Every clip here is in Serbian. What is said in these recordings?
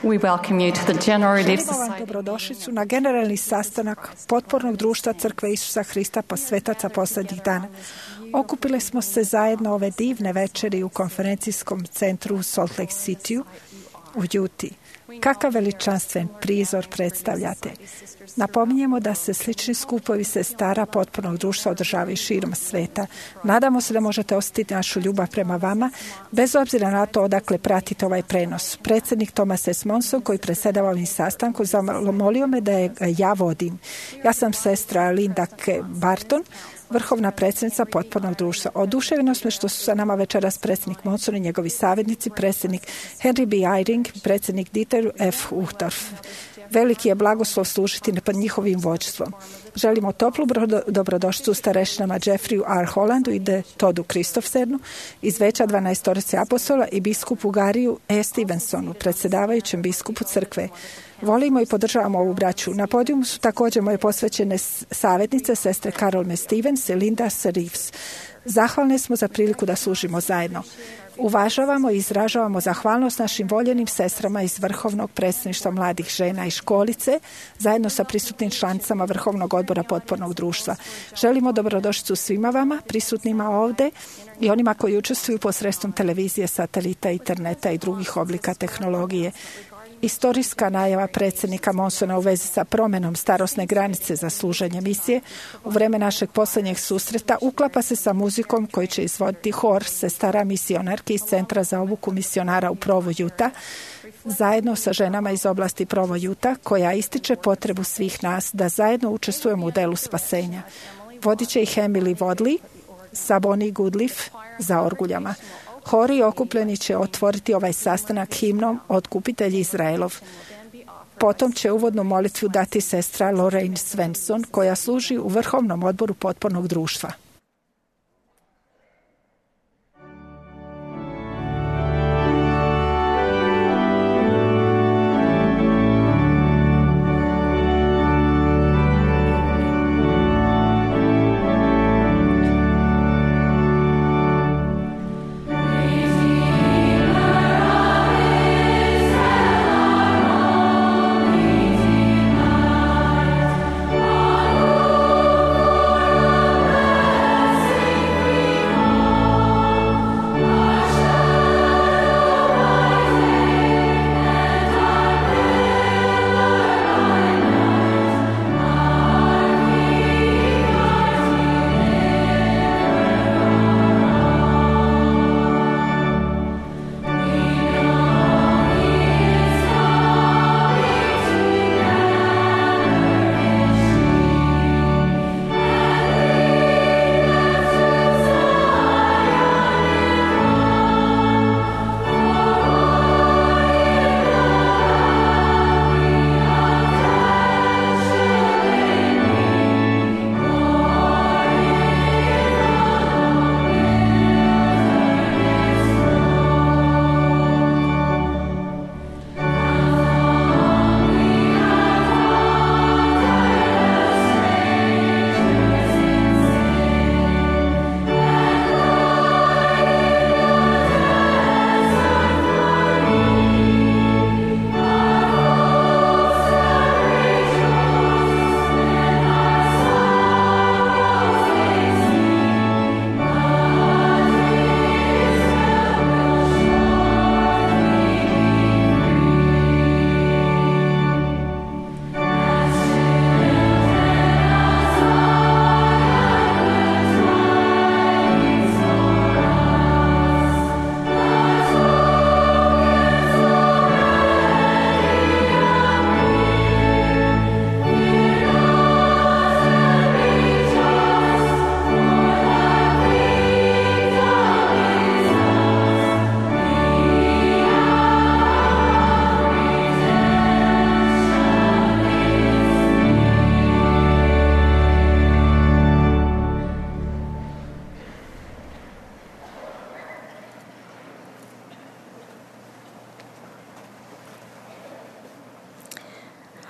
We welcome you to the General Relief Želimo vam Society. dobrodošlicu na generalni sastanak Potpornog društva Crkve Isusa Hrista Svetaca posljednjih dana. Okupili smo se zajedno ove divne večeri u konferencijskom centru u Salt Lake City u Utah. Kakav veličanstven prizor predstavljate. Napominjemo da se slični skupovi sestara Potpornog društva održavaju širom sveta. Nadamo se da možete osjetiti našu ljubav prema vama, bez obzira na to odakle pratite ovaj prenos. Predsjednik Thomas S. Monson, koji predsjedava ovim sastankom, zamolio me da ja vodim. Ja sam sestra Linda K. Barton, vrhovna predsjednica Potpornog društva. Oduševljeno smo što su sa nama večeras predsjednik Monson i njegovi savjetnici, predsjednik Henry B. Eyring, predsjednik Dieter F. Uchtdorf. Veliki je blagoslov služiti pod njihovim vođstvom. Želimo toplu dobrodošlicu starešinama Jeffreyu R. Hollandu i de Todu Kristofsenu iz veća 12 apostola i biskupu Gariju E. Stevensonu, predsjedavajućem biskupu crkve. Volimo i podržavamo ovu braću. Na podijumu su također moje posvećene savjetnice, sestre Carol M. Stevens i Linda S. Reeves. Zahvalne smo za priliku da služimo zajedno. Uvažavamo i izražavamo zahvalnost našim voljenim sestrama iz Vrhovnog predsjedništva mladih žena i školice, zajedno sa prisutnim članicama Vrhovnog odbora Potpornog društva. Želimo dobrodošlicu svima vama, prisutnima ovdje i onima koji učestvuju posredstvom televizije, satelita, interneta i drugih oblika tehnologije. Istorijska najava predsjednika Monsona u vezi sa promjenom starosne granice za služenje misije u vrijeme našeg posljednjeg susreta uklapa se sa muzikom koji će izvoditi hor sestara misionarki iz Centra za obuku misionara u Provo, Utah, zajedno sa ženama iz oblasti Provo, Utah, koja ističe potrebu svih nas da zajedno učestvujemo u delu spasenja. Vodit će ih Emily Vodley sa Bonnie Goodliff za orguljama. Hori okupljeni će otvoriti ovaj sastanak himnom Otkupitelj Izraelov. Potom će uvodnu molitvu dati sestra Lorraine Svensson, koja služi u Vrhovnom odboru Potpornog društva.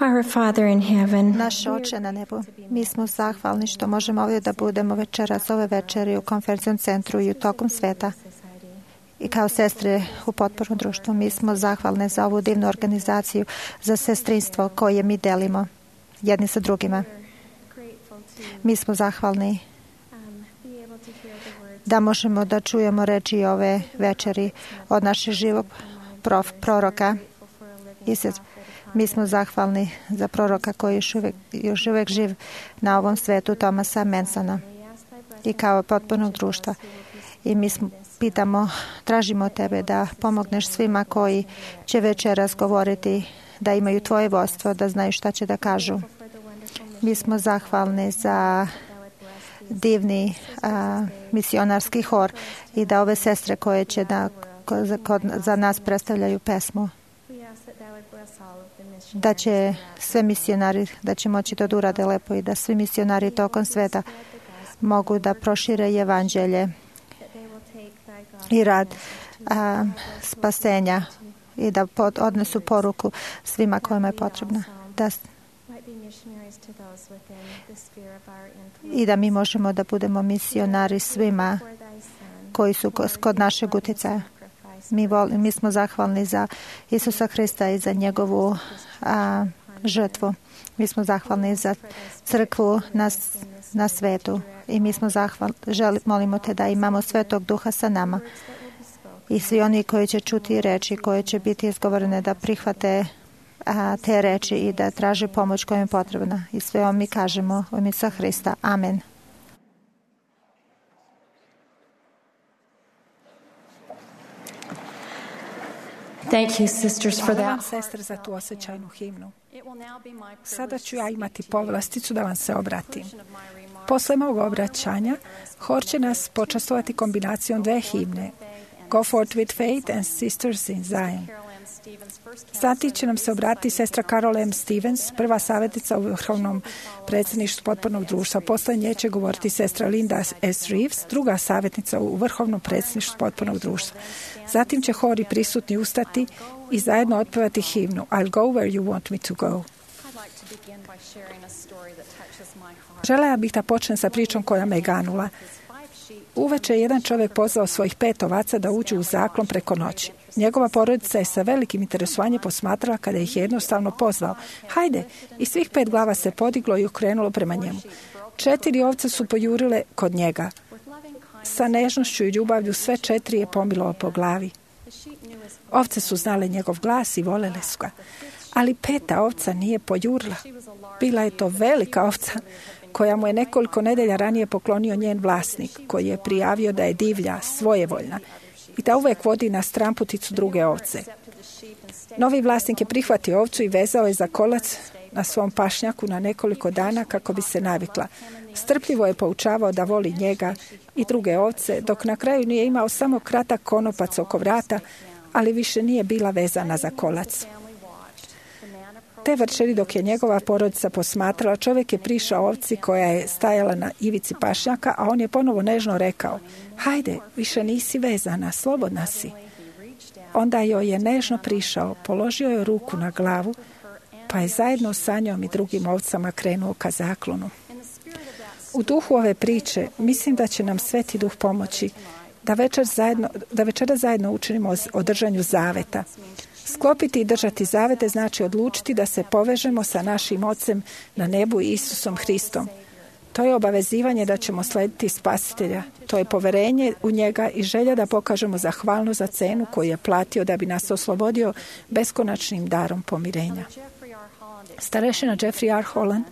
Our Father in heaven, Naš Oče na nebu, mi smo zahvalni što možemo ovdje da budemo večeras ove večeri u konferencijskom centru i u tokom sveta. i kao sestre u potpornom društvu. Mi smo zahvalne za ovu divnu organizaciju, za sestrinstvo koje mi delimo jedni sa drugima. Mi smo zahvalni da možemo da čujemo reči ove večeri od našeg živog proroka. Mi smo zahvalni za proroka koji je još uvek živ na ovom svetu, Thomasa Mansona, i kao potpornog društva. I mi tražimo tebe da pomogneš svima koji će večeras govoriti, da imaju tvoje vodstvo, da znaju šta će da kažu. Mi smo zahvalni za divni misionarski hor i da ove sestre koje će za nas predstavljaju pesmu, da će sve misionari, da će moći to da urade lepo i da svi misionari tokom sveta mogu da prošire evanđelje i rad spasenja i da odnesu poruku svima kojima je potrebna. I da mi možemo da budemo misionari svima koji su kod našeg utjecaja. Mi smo zahvalni za Isusa Hrista i za njegovu žrtvu. Mi smo zahvalni za crkvu na svetu i mi smo molimo te da imamo Svetog Duha sa nama i svi oni koji će čuti reči koje će biti izgovorene da prihvate te reči i da traže pomoć koja je potrebna. I sve ovo mi kažemo u ime Isusa Hrista. Amen. Thank you, sisters, for Hvala vam, that. sestre, za tu osjećajnu himnu. Sada ću ja imati povlasticu da vam se obratim. Posle mog obraćanja, hor će nas počastovati kombinacijom dve himne, Go Forth with Faith and Sisters in Zion. Zatim će nam se obratiti sestra Carol M. Stevens, prva savjetnica u Vrhovnom predsjedništvu potpornog društva. Posle nje će govoriti sestra Linda S. Reeves, druga savjetnica u Vrhovnom predsjedništvu potpornog društva. Zatim će hori prisutni ustati i zajedno otpevati himnu I'll go where you want me to go. Želela bih da počnem sa pričom koja me ganula. Uveče je jedan čovjek pozvao svojih 5 ovaca da uđu u zaklon preko noći. Njegova porodica je sa velikim interesovanjem posmatrala kada ih je jednostavno pozvao. Hajde! I svih 5 glava se podiglo i okrenulo prema njemu. 4 ovce su pojurile kod njega. Sa nežnošću i ljubavlju sve 4 je pomilao po glavi. Ovce su znale njegov glas i volele su ga. Ali 5. ovca nije pojurila. Bila je to velika ovca koja mu je nekoliko nedelja ranije poklonio njen vlasnik, koji je prijavio da je divlja, svojevoljna i da uvek vodi na stramputicu druge ovce. Novi vlasnik je prihvatio ovcu i vezao je za kolac na svom pašnjaku na nekoliko dana kako bi se navikla. Strpljivo je poučavao da voli njega i druge ovce, dok na kraju nije imao samo kratak konopac oko vrata, ali više nije bila vezana za kolac. Te večeri dok je njegova porodica posmatrala, čovjek je prišao ovci koja je stajala na ivici pašnjaka, a on je ponovo nežno rekao, hajde, više nisi vezana, slobodna si. Onda joj je nežno prišao, položio je ruku na glavu, pa je zajedno sa njom i drugim ovcama krenuo ka zaklonu. U duhu ove priče mislim da će nam Sveti Duh pomoći da večera zajedno učinimo o držanju zaveta. Sklopiti i držati zavete znači odlučiti da se povežemo sa našim Ocem na nebu i Isusom Hristom. To je obavezivanje da ćemo slediti Spasitelja. To je poverenje u njega i želja da pokažemo zahvalnost za cenu koju je platio da bi nas oslobodio beskonačnim darom pomirenja. Starešina Jeffrey R. Holland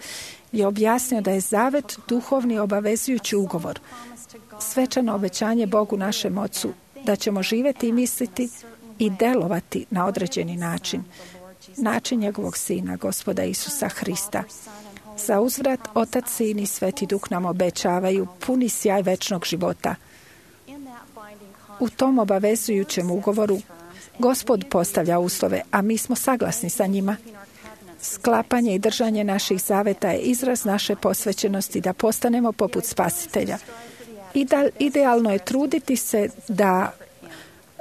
je objasnio da je zavet duhovni obavezujući ugovor, svečano obećanje Bogu našem Ocu da ćemo živjeti i misliti i delovati na određeni način njegovog Sina, Gospoda Isusa Hrista. Za uzvrat, Otac, Sin i Sveti Duh nam obećavaju puni sjaj večnog života. U tom obavezujućem ugovoru Gospod postavlja uslove, a mi smo saglasni sa njima. Sklapanje i držanje naših zaveta je izraz naše posvećenosti da postanemo poput Spasitelja. Idealno je truditi se da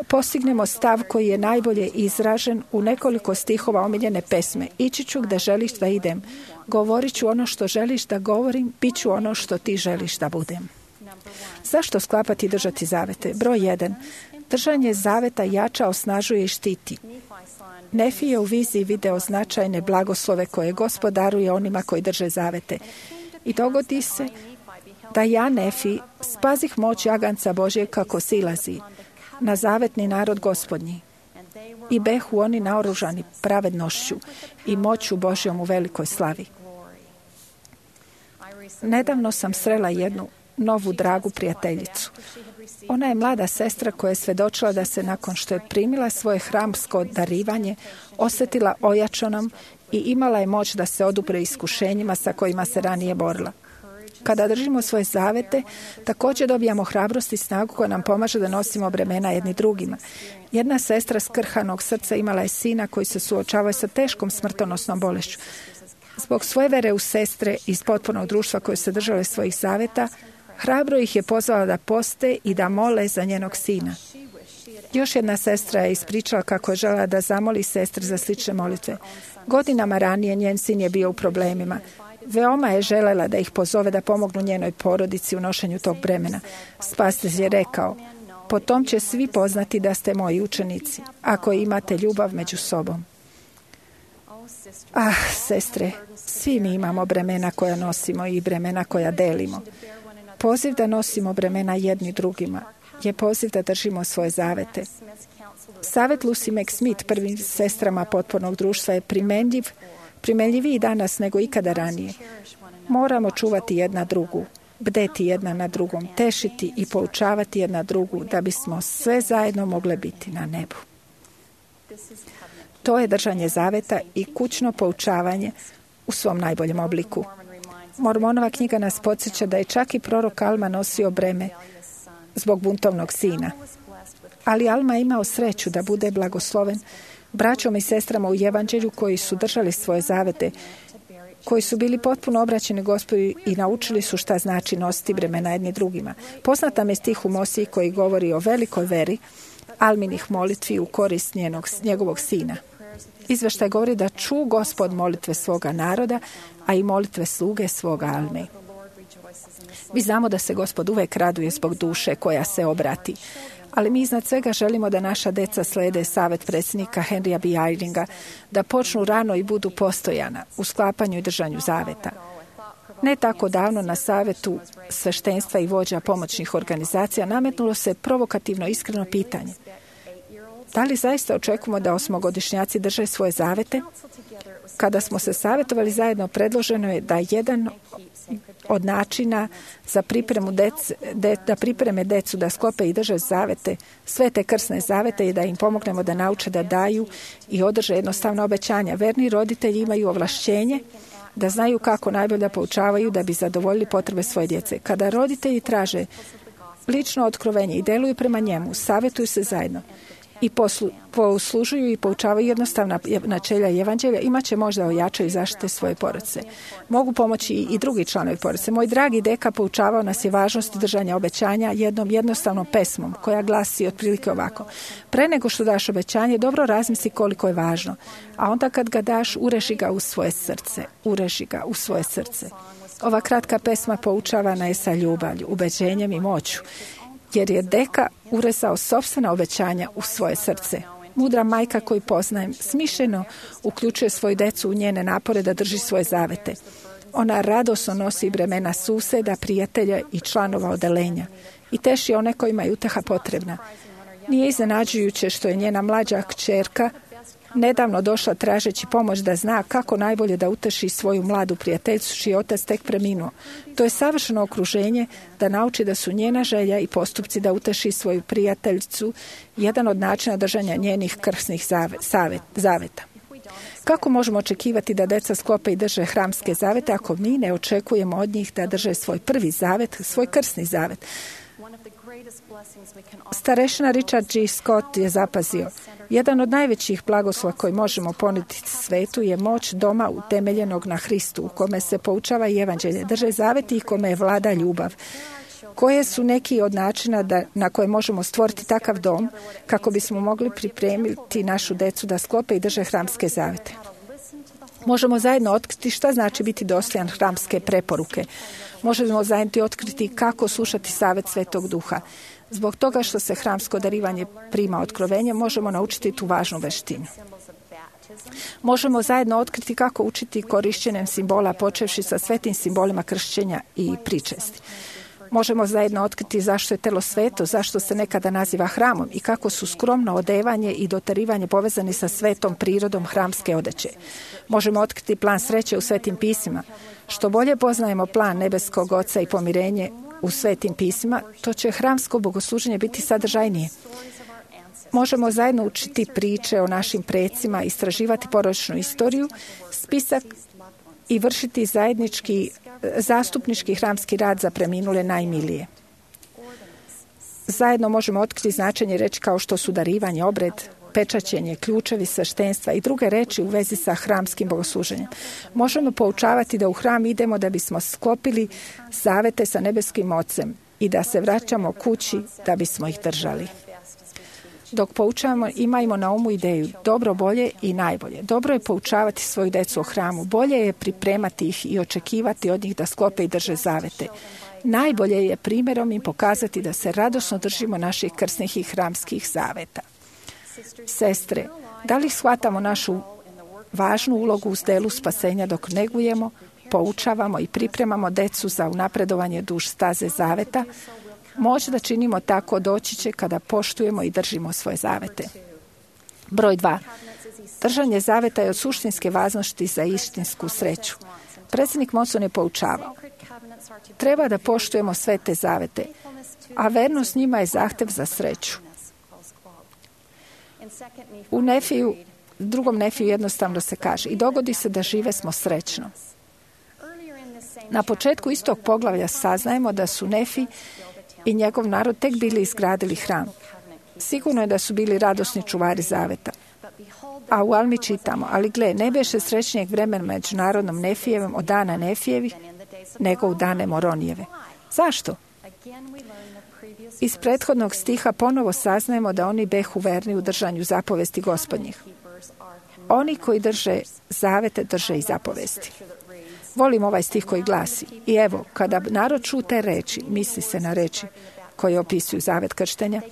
postignemo stav koji je najbolje izražen u nekoliko stihova omiljene pesme. Ići ću gde želiš da idem. Govorit ću ono što želiš da govorim. Bit ću ono što ti želiš da budem. Zašto sklapati i držati zavete? Broj 1. Držanje zaveta jača, osnažuje i štiti. Nefi je u viziji video značajne blagoslove koje gospodaruje onima koji drže zavete. I dogodi se da ja, Nefi, spazih moć jaganca Božje kako silazi na zavetni narod Gospodnji. I behu oni naoružani pravednošću i moću Božjom u velikoj slavi. Nedavno sam srela jednu novu dragu prijateljicu. Ona je mlada sestra koja je svjedočila da se nakon što je primila svoje hramsko darivanje osjetila ojačanom i imala je moć da se odupre iskušenjima sa kojima se ranije borila. Kada držimo svoje zavete, također dobijamo hrabrost i snagu koja nam pomaže da nosimo bremena jedni drugima. Jedna sestra skrhanog srca imala je sina koji se suočavao sa teškom smrtonosnom bolešću. Zbog svoje vere u sestre iz potpunog društva koje se držale svojih zaveta, hrabro ih je pozvala da poste i da mole za njenog sina. Još jedna sestra je ispričala kako je željela da zamoli sestre za slične molitve. Godinama ranije njen sin je bio u problemima. Veoma je željela da ih pozove da pomognu njenoj porodici u nošenju tog bremena. Spasitelj je rekao: po tom će svi poznati da ste moji učenici, ako imate ljubav među sobom. Sestre, svi mi imamo bremena koja nosimo i bremena koja delimo. Poziv da nosimo bremena jedni drugima je poziv da držimo svoje zavete. Savjet Lucy McSmith prvim sestrama potpornog društva je primenljiviji danas nego ikada ranije. Moramo čuvati jedna drugu, bdeti jedna na drugom, tešiti i poučavati jedna drugu da bismo sve zajedno mogle biti na nebu. To je držanje zaveta i kućno poučavanje u svom najboljem obliku. Mormonova knjiga nas podsjeća da je čak i prorok Alma nosio breme zbog buntovnog sina. Ali Alma je imao sreću da bude blagosloven braćom i sestrama u evanđelju koji su držali svoje zavete, koji su bili potpuno obraćeni Gospodu i naučili su šta znači nositi bremena jedni drugima. Poznat nam je stih u Mosiji koji govori o velikoj veri Alminih molitvi u korist njegovog sina. Izveštaj govori da ču Gospod molitve svoga naroda, a i molitve sluge svoga Alme. Mi znamo da se Gospod uvek raduje zbog duše koja se obrati, ali mi iznad svega želimo da naša deca slede savjet predsjednika Henrya B. Eyringa, da počnu rano i budu postojana u sklapanju i držanju zaveta. Ne tako davno na savjetu sveštenstva i vođa pomoćnih organizacija nametnulo se provokativno iskreno pitanje: da li zaista očekujemo da osmogodišnjaci drže svoje zavete? Kada smo se savjetovali zajedno, predloženo je da jedan od načina za da pripreme decu da sklope i drže zavete, sve te krsne zavete, i da im pomognemo da nauče da daju i održe jednostavna obećanja. Verni roditelji imaju ovlašćenje da znaju kako najbolje poučavaju da bi zadovoljili potrebe svoje djece. Kada roditelji traže lično otkrovenje i deluju prema njemu, savjetuju se zajedno i poslužuju i poučavaju jednostavna načelja evanđelja, imat će možda ojačaju i zaštite svoje porodice. Mogu pomoći i drugi članovi porodice. Moj dragi deka poučavao nas je važnost držanja obećanja jednom jednostavnom pesmom koja glasi otprilike ovako: pre nego što daš obećanje, dobro razmisli koliko je važno, a onda kad ga daš, ureži ga u svoje srce. Ureži ga u svoje srce. Ova kratka pesma poučavana je sa ljubavlju, ubeđenjem i moću, jer je deka urezao sopstvena obećanja u svoje srce. Mudra majka koju poznajem smišljeno uključuje svoju decu u njene napore da drži svoje zavete. Ona radosno nosi bremena suseda, prijatelja i članova odelenja i teši one kojima je uteha potrebna. Nije iznenađujuće što je njena mlađa kćerka nedavno došla tražeći pomoć da zna kako najbolje da uteši svoju mladu prijateljicu čiji otac tek preminuo. To je savršeno okruženje da nauči da su njena želja i postupci da uteši svoju prijateljicu jedan od načina držanja njenih krsnih zaveta. Kako možemo očekivati da deca sklope i drže hramske zavete ako mi ne očekujemo od njih da drže svoj prvi zavet, svoj krsni zavet? Starešina Richard G. Scott je zapazio: jedan od najvećih blagoslova koji možemo ponuditi svetu je moć doma utemeljenog na Hristu, u kome se poučava i evanđelje, drže zaveti i kome je vlada ljubav. Koje su neki od načina na koje možemo stvoriti takav dom kako bismo mogli pripremiti našu decu da sklope i drže hramske zavete? Možemo zajedno otkriti šta znači biti dostojan hramske preporuke. Možemo zajedno otkriti kako slušati savjet Svetog Duha. Zbog toga što se hramsko darivanje prima otkrovenjem, možemo naučiti tu važnu veštinu. Možemo zajedno otkriti kako učiti korišćenjem simbola, počevši sa svetim simbolima kršćenja i pričesti. Možemo zajedno otkriti zašto je telo sveto, zašto se nekada naziva hramom i kako su skromno odevanje i dotarivanje povezani sa svetom prirodom hramske odeće. Možemo otkriti plan sreće u svetim pismima. Što bolje poznajemo plan nebeskog Oca i pomirenje u svetim pismima, to će hramsko bogosluženje biti sadržajnije. Možemo zajedno učiti priče o našim precima, istraživati porodičnu istoriju, spisak i vršiti zastupnički hramski rad za preminule najmilije. Zajedno možemo otkriti značenje reči kao što su darivanje, obred, pečaćenje, ključevi sveštenstva i druge reči u vezi sa hramskim bogosluženjem. Možemo poučavati da u hram idemo da bismo sklopili zavete sa nebeskim Ocem i da se vraćamo kući da bismo ih držali. Dok poučavamo, imajmo na umu ideju dobro, bolje i najbolje. Dobro je poučavati svoju decu o hramu. Bolje je pripremati ih i očekivati od njih da sklope i drže zavete. Najbolje je primjerom im pokazati da se radosno držimo naših krsnih i hramskih zaveta. Sestre, da li shvatamo našu važnu ulogu u delu spasenja dok negujemo, poučavamo i pripremamo decu za unapredovanje duž staze zaveta? Možda činimo tako doći će kada poštujemo i držimo svoje zavete. Broj 2. Držanje zaveta je od suštinske važnosti za istinsku sreću. Predsjednik Monson je poučavao. Treba da poštujemo sve te zavete, a vernost njima je zahtev za sreću. U drugom Nefiju jednostavno se kaže i dogodi se da žive smo srećno. Na početku istog poglavlja saznajemo da su Nefi i njegov narod tek bili izgradili hram. Sigurno je da su bili radosni čuvari zaveta. A u Almi čitamo, ali gle, ne beše srećnijeg vremena među narodom Nefijevim od dana Nefijevih, nego u dane Moronijeve. Zašto? Iz prethodnog stiha ponovo saznajemo da oni behu verni u držanju zapovesti Gospodnjih. Oni koji drže zavete, drže i zapovesti. Volim ovaj stih koji glasi: i evo, kada narod ču te reči, misli se na reči koje opisuju zavet krštenja,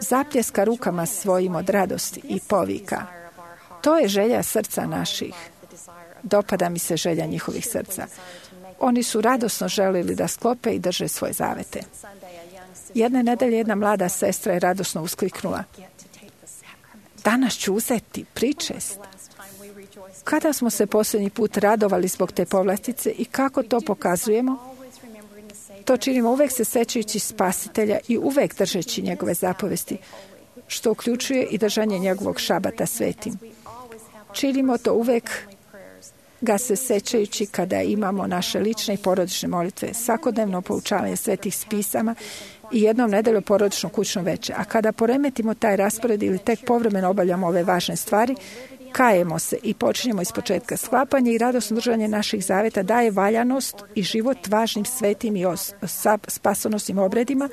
zapljeska rukama svojim od radosti i povika: to je želja srca naših. Dopada mi se želja njihovih srca. Oni su radosno želili da sklope i drže svoje zavete. Jedne nedelje jedna mlada sestra je radosno uskliknula: danas ću uzeti pričest. Kada smo se posljednji put radovali zbog te povlastice i kako to pokazujemo? To činimo uvek se sećajući Spasitelja i uvek držeći njegove zapovesti, što uključuje i držanje njegovog šabata svetim. Činimo to uvek ga se sećajući kada imamo naše lične i porodične molitve, svakodnevno poučavanje svetih spisama i jednom nedelju porodično kućno veče. A kada poremetimo taj raspored ili tek povremeno obavljamo ove važne stvari, kajemo se i počinjemo iz početka. Sklapanje i radosno držanje naših zaveta daje valjanost i život važnim svetim i spasonosnim obredima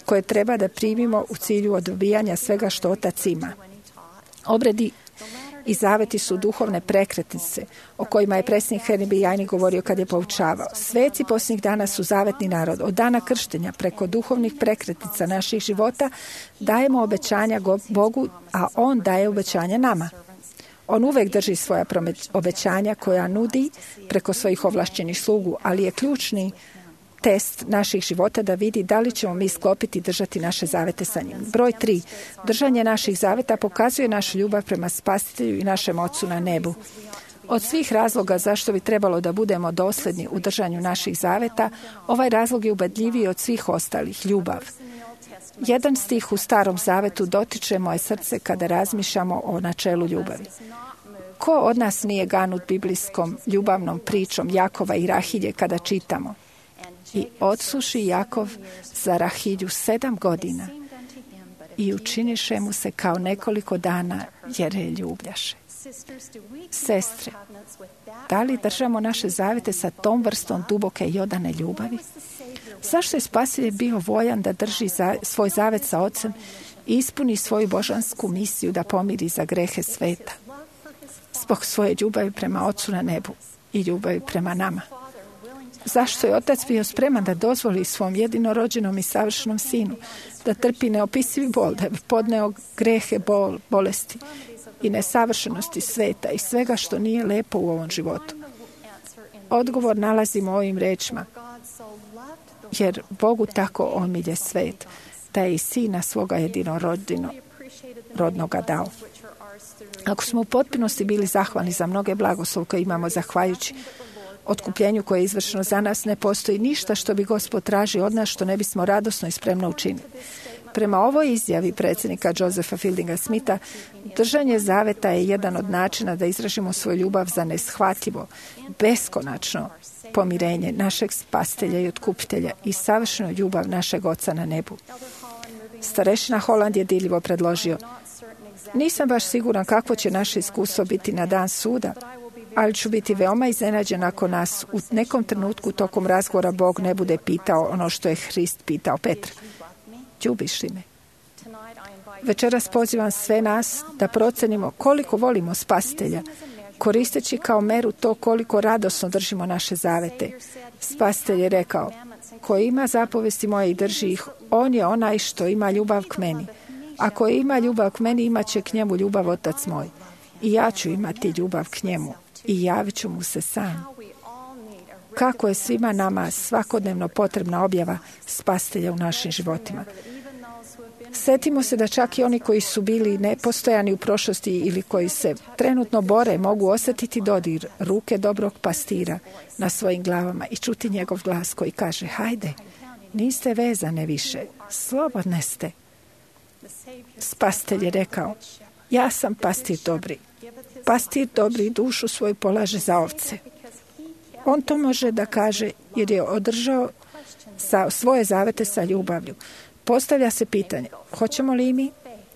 koje treba da primimo u cilju odbijanja svega što Otac ima. Obredi i zaveti su duhovne prekretnice o kojima je predsjednik Henry Jajni govorio kad je poučavao. Sveci posljednjih dana su zavetni narod. Od dana krštenja preko duhovnih prekretnica naših života dajemo obećanja Bogu, a On daje obećanja nama. On uvek drži svoja obećanja koja nudi preko svojih ovlašćenih slugu, ali je ključni test naših života da vidi da li ćemo mi sklopiti i držati naše zavete sa njim. Broj 3. Držanje naših zaveta pokazuje našu ljubav prema Spasitelju i našem Ocu na nebu. Od svih razloga zašto bi trebalo da budemo dosledni u držanju naših zaveta, ovaj razlog je ubedljiviji od svih ostalih, ljubav. Jedan stih u Starom zavetu dotiče moje srce kada razmišljamo o načelu ljubavi. Ko od nas nije ganut biblijskom ljubavnom pričom Jakova i Rahilje kada čitamo: i odsuši Jakov za Rahilju 7 godina i učiniše mu se kao nekoliko dana jer je ljubljaše. Sestre, da li držamo naše zavete sa tom vrstom duboke i odane ljubavi? Zašto je Spasitelj bio voljan da drži svoj zavet sa Ocem i ispuni svoju božansku misiju da pomiri za grehe sveta? Zbog svoje ljubavi prema Ocu na nebu i ljubavi prema nama. Zašto je Otac bio spreman da dozvoli svom jedinorođenom i savršenom sinu da trpi neopisivi bol, da bi podneo grehe, bolesti i nesavršenosti sveta i svega što nije lepo u ovom životu? Odgovor nalazimo u ovim rečima. Jer Bogu tako omilje svet, da je i sina svoga jedinorodnoga dao. Ako smo u potpunosti bili zahvalni za mnoge blagoslov koje imamo zahvaljujući otkupljenju koje je izvršeno za nas, ne postoji ništa što bi Gospod tražio od nas što ne bismo radosno i spremno učinili. Prema ovoj izjavi predsjednika Josepha Fieldinga Smitha, držanje zaveta je jedan od načina da izražimo svoju ljubav za neshvatljivo, beskonačno pomirenje našeg spastelja i otkupitelja i savršenu ljubav našeg Oca na nebu. Starešina Holland je dirljivo predložio: nisam baš siguran kakvo će naše iskustvo biti na dan suda, ali ću biti veoma iznenađen ako nas u nekom trenutku tokom razgovora Bog ne bude pitao ono što je Hrist pitao Petra. Ljubiš li me? Večeras pozivam sve nas da procenimo koliko volimo Spasitelja, koristeći kao meru to koliko radosno držimo naše zavete. Spasitelj je rekao: ko ima zapovesti moje i drži ih, on je onaj što ima ljubav k meni. Ako ima ljubav k meni, imat će k njemu ljubav Otac moj. I ja ću imati ljubav k njemu i javit ću mu se sam. Kako je svima nama svakodnevno potrebna objava Spasitelja u našim životima. Sjetimo se da čak i oni koji su bili nepostojani u prošlosti ili koji se trenutno bore mogu osjetiti dodir ruke dobrog pastira na svojim glavama i čuti njegov glas koji kaže: hajde, niste vezane više, slobodne ste. Spasitelj je rekao: ja sam pastir dobri. Pastir dobri dušu svoju polaže za ovce. On to može da kaže jer je održao svoje zavete sa ljubavlju. Postavlja se pitanje: hoćemo li mi?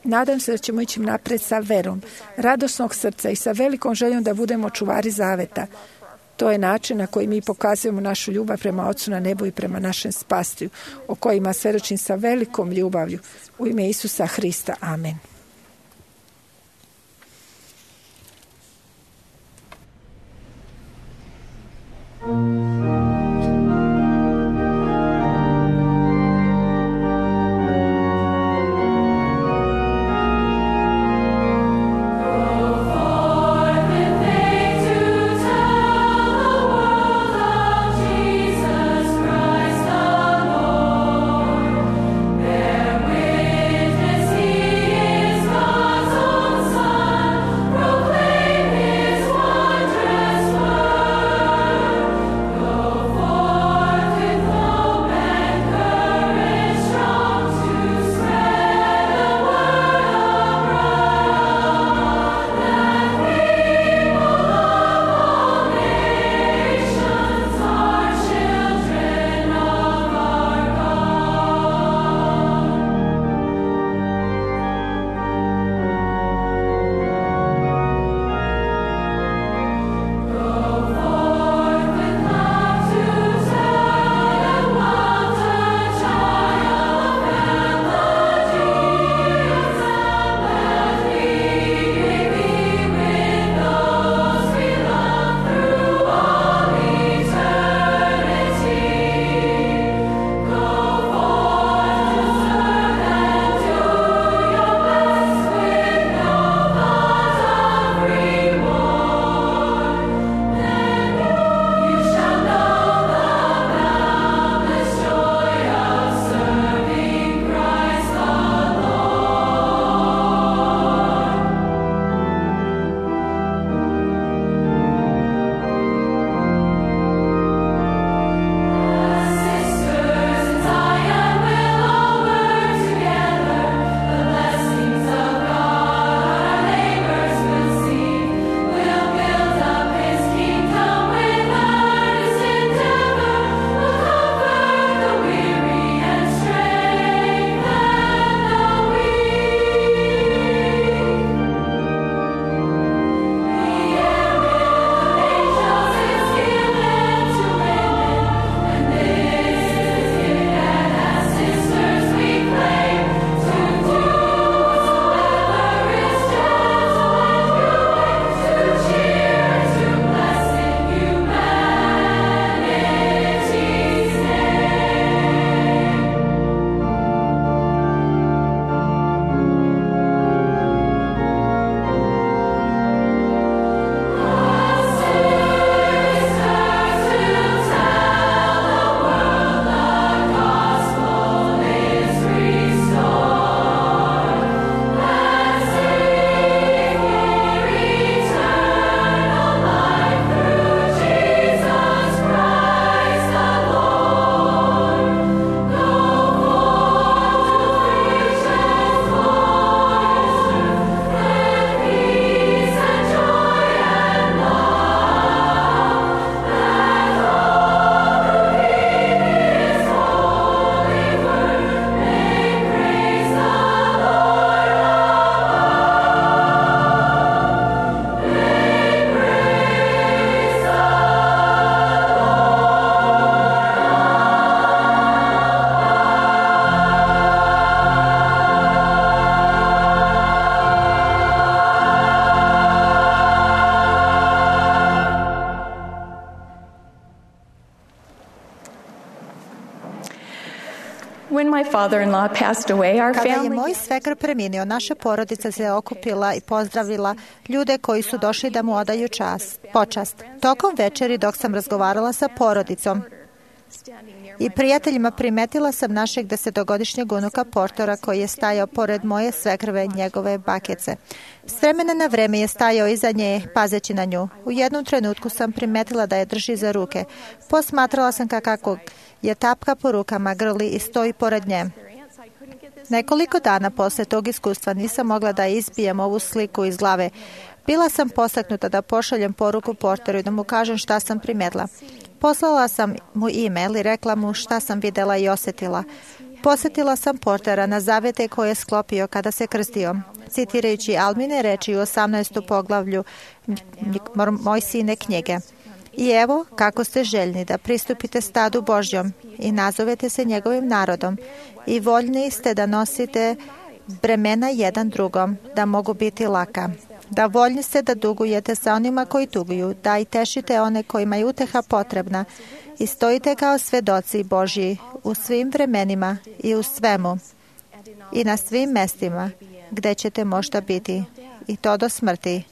Nadam se da ćemo ići napred sa verom, radosnog srca i sa velikom željom da budemo čuvari zaveta. To je način na koji mi pokazujemo našu ljubav prema Ocu na nebu i prema našem Spasitelju, o kojima svjedočim sa velikom ljubavlju. U ime Isusa Hrista. Amen. Proclaim his wondrous word. When my father-in-law passed away, our Kada je family moj svekar preminuo, naša porodica se okupila i pozdravila ljude koji su došli da mu odaju počast. Tokom večeri, dok sam razgovarala sa porodicom i prijateljima, primetila sam našeg 10-godišnjeg unuka Portora koji je stajao pored moje svekrve, njegove bakice. S vremena na vreme je stajao iza nje, pazeći na nju. U jednom trenutku sam primetila da je drži za ruke. Posmatrala sam kako je tapka po rukama, grli i stoji pored nje. Nekoliko dana posle tog iskustva nisam mogla da izbijem ovu sliku iz glave. Bila sam postaknuta da pošaljem poruku Porteru i da mu kažem šta sam primetila. Poslala sam mu e-mail i rekla mu šta sam videla i osjetila. Posjetila sam Portera na zavete koje je sklopio kada se krstio, citirajući Almine reči u 18. poglavlju Mojsijine knjige. I evo kako ste željni da pristupite stadu Božjom i nazovete se njegovim narodom i voljni ste da nosite bremena jedan drugom, da mogu biti laka. Da voljni ste da dugujete sa onima koji tuguju, da i tešite one kojima je uteha potrebna i stojite kao svedoci Božji u svim vremenima i u svemu i na svim mestima gde ćete možda biti i to do smrti,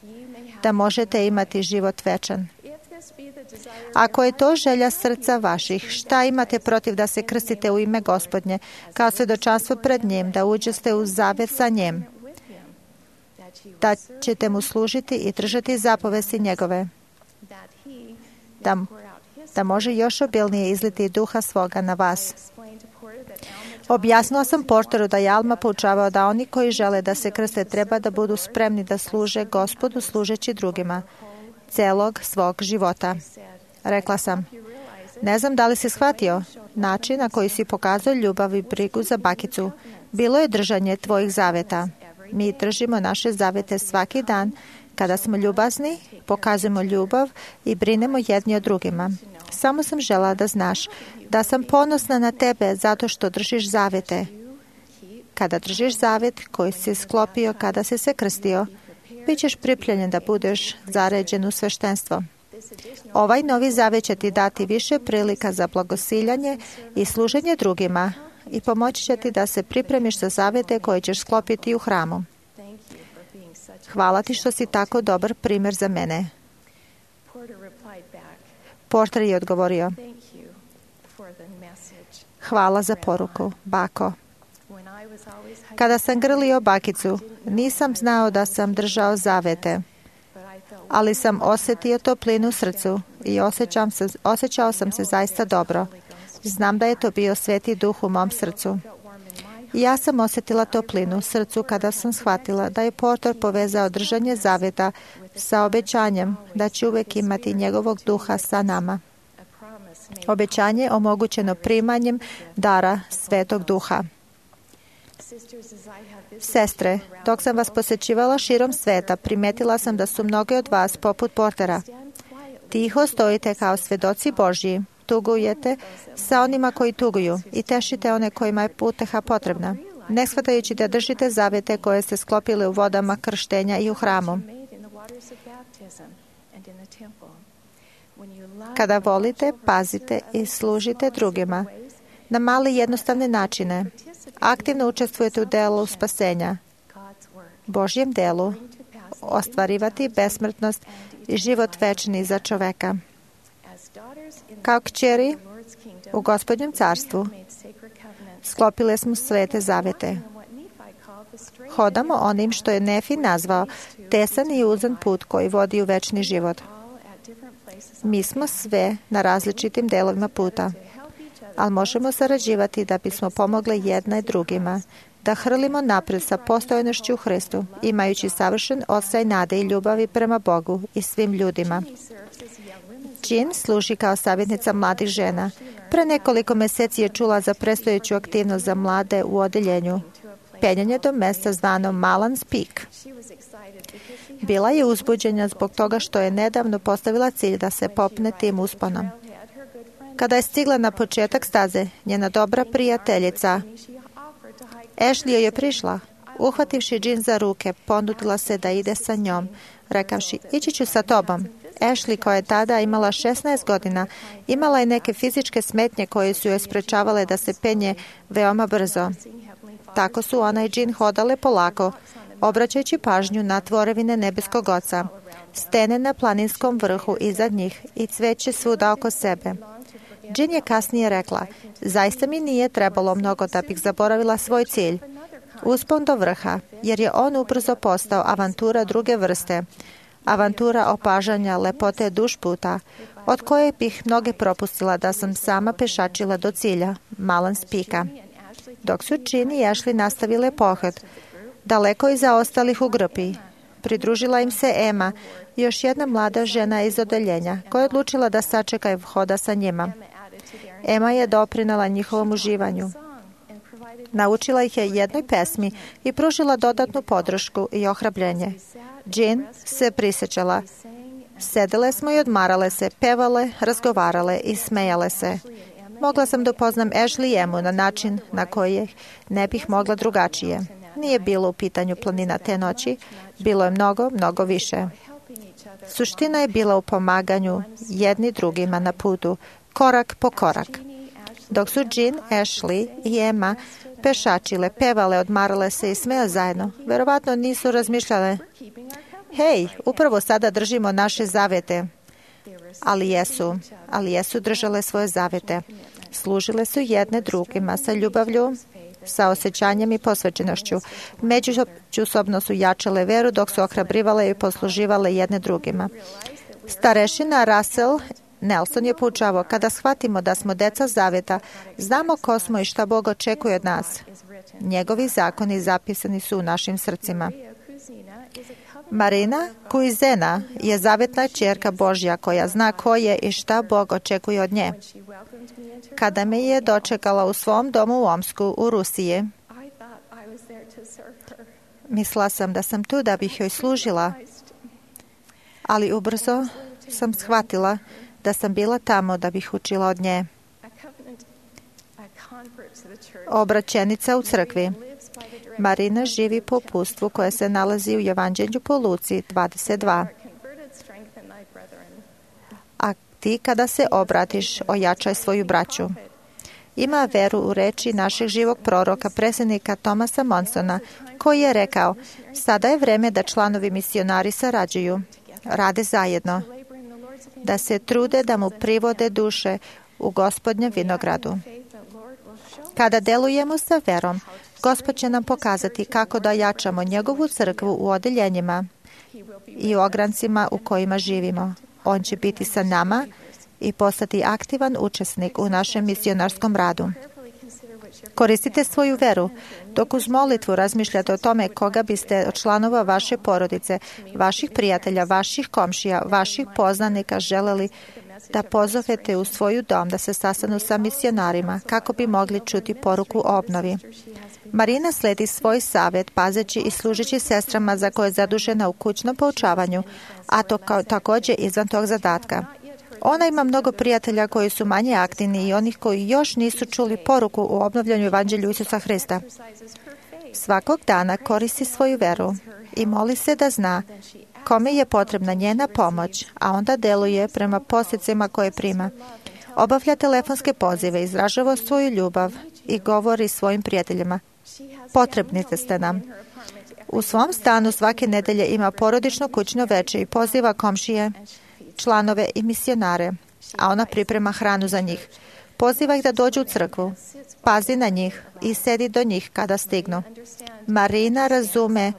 da možete imati život večan. Ako je to želja srca vaših, šta imate protiv da se krstite u ime Gospodnje, kao svedočanstvo pred njim, da uđete u zavet sa njim, da ćete mu služiti i držati zapovesti njegove, da može još obilnije izliti duha svoga na vas. Objasnila sam Porteru da je Alma poučavao da oni koji žele da se krste treba da budu spremni da služe Gospodu služeći drugima celog svog života. Rekla sam, ne znam da li si shvatio način na koji si pokazao ljubav i brigu za bakicu. Bilo je držanje tvojih zaveta. Mi držimo naše zavete svaki dan. Kada smo ljubazni, pokazujemo ljubav i brinemo jedni o drugima. Samo sam žela da znaš da sam ponosna na tebe zato što držiš zavete. Kada držiš zavet koji si sklopio kada si se krstio, bit ćeš pripremljen da budeš zaređen u sveštenstvo. Ovaj novi zavet će ti dati više prilika za blagosiljanje i služenje drugima i pomoći će ti da se pripremiš za zavete koje ćeš sklopiti u hramu. Hvala ti što si tako dobar primjer za mene. Porter je odgovorio, hvala za poruku, bako. Kada sam grlio bakicu, nisam znao da sam držao zavete, ali sam osjetio toplinu u srcu i osjećao sam se zaista dobro. Znam da je to bio Sveti Duh u mom srcu. I ja sam osjetila toplinu u srcu kada sam shvatila da je Porter povezao držanje zaveta sa obećanjem da će uvek imati njegovog duha sa nama. Obećanje omogućeno primanjem dara Svetog Duha. Sestre, dok sam vas posjećivala širom sveta, primetila sam da su mnogi od vas poput Portera. Tiho stojite kao svedoci Božji, tugujete sa onima koji tuguju i tešite one kojima je uteha potrebna, ne shvatajući da držite zavete koje ste sklopili u vodama krštenja i u hramu. Kada volite, pazite i služite drugima na male jednostavne načine, aktivno učestvujete u delu spasenja, Božjem delu, ostvarivati besmrtnost i život večni za čoveka. Kao kćeri u Gospodnjem carstvu sklopile smo svete zavete. Hodamo onim što je Nefi nazvao tesan i uzan put koji vodi u večni život. Mi smo sve na različitim delovima puta, ali možemo sarađivati da bismo pomogli jedna i drugima, da hrlimo napred sa postojanošću u Hristu, imajući savršen osjećaj nade i ljubavi prema Bogu i svim ljudima. Jean služi kao savjetnica mladih žena. Pre nekoliko meseci je čula za predstojeću aktivnost za mlade u odeljenju, penjanje do mesta zvano Malan's Peak. Bila je uzbuđena zbog toga što je nedavno postavila cilj da se popne tim usponom. Kada je stigla na početak staze, njena dobra prijateljica Ashley joj je prišla. Uhvativši Jean za ruke, ponudila se da ide sa njom, rekavši, ići ću sa tobom. Ashley, koja je tada imala 16 godina, imala je neke fizičke smetnje koje su joj sprečavale da se penje veoma brzo. Tako su ona i Jean hodale polako, obraćajući pažnju na tvorevine nebeskog Oca, stene na planinskom vrhu iznad njih i cveće svuda oko sebe. Jean je kasnije rekla, zaista mi nije trebalo mnogo da bih zaboravila svoj cilj, uspon do vrha, jer je on ubrzo postao avantura druge vrste, avantura opažanja lepote dušputa, od koje bih mnoge propustila da sam sama pešačila do cilja, Malans Pika. Dok su Jean i Ashley nastavile pohod, daleko iza ostalih u grupi, pridružila im se Emma, još jedna mlada žena iz odeljenja, koja je odlučila da sačeka i hoda sa njima. Emma je doprinela njihovom uživanju. Naučila ih je jednoj pesmi i pružila dodatnu podršku i ohrabrenje. Jean se prisjećala. Sedele smo i odmarale se, pevale, razgovarale i smejale se. Mogla sam da upoznam Ashley i Emmu na način na koji ne bih mogla drugačije. Nije bilo u pitanju planina te noći, bilo je mnogo, mnogo više. Suština je bila u pomaganju jedni drugima na putu, korak po korak. Dok su Jean, Ashley i Emma pešačile, pevale, odmarale se i smejale zajedno, verovatno nisu razmišljale, hej, upravo sada držimo naše zavete. Ali jesu držale svoje zavete. Služile su jedne drugima sa ljubavlju, sa osjećanjem i posvećenošću. Međusobno su jačale veru dok su ohrabrivale i posluživale jedne drugima. Starešina Russell Nelson je poučavao, kada shvatimo da smo deca zaveta, znamo ko smo i šta Bog očekuje od nas. Njegovi zakoni zapisani su u našim srcima. Marina Kuizena je zavetna ćerka Božja koja zna ko je i šta Bog očekuje od nje. Kada me je dočekala u svom domu u Omsku, u Rusiji, mislila sam da sam tu da bih joj služila, ali ubrzo sam shvatila da sam bila tamo da bih učila od nje. Obraćenica u crkvi. Marina živi po uputstvu koje se nalazi u Evanđelju po Luci 22. A ti kada se obratiš, ojačaj svoju braću. Ima veru u reči našeg živog proroka, predsjednika Thomasa Monsona, koji je rekao, sada je vreme da članovi misionari sarađuju, rade zajedno, da se trude da mu privode duše u Gospodnjem vinogradu. Kada delujemo sa verom, Gospod će nam pokazati kako da jačamo njegovu crkvu u odeljenjima i u ograncima u kojima živimo. On će biti sa nama i postati aktivan učesnik u našem misionarskom radu. Koristite svoju veru. Dok uz molitvu razmišljate o tome koga biste od članova vaše porodice, vaših prijatelja, vaših komšija, vaših poznanika želeli da pozovete u svoju dom da se sastanu sa misionarima kako bi mogli čuti poruku o obnovi. Marina sledi svoj savjet pazeći i služeći sestrama za koje je zadužena u kućnom poučavanju, a to također izvan tog zadatka. Ona ima mnogo prijatelja koji su manje aktivni i onih koji još nisu čuli poruku u obnovljanju Evanđelju Isusa Hrista. Svakog dana koristi svoju veru i moli se da zna kome je potrebna njena pomoć, a onda deluje prema posljedicama koje prima. Obavlja telefonske pozive, izražava svoju ljubav i govori svojim prijateljima, potrebni ste nam. U svom stanu svake nedelje ima porodično kućno veče i poziva komšije, članove i misionare, a ona priprema hranu za njih. Poziva ih da dođu u crkvu, pazi na njih i sedi do njih kada stignu. Marina razume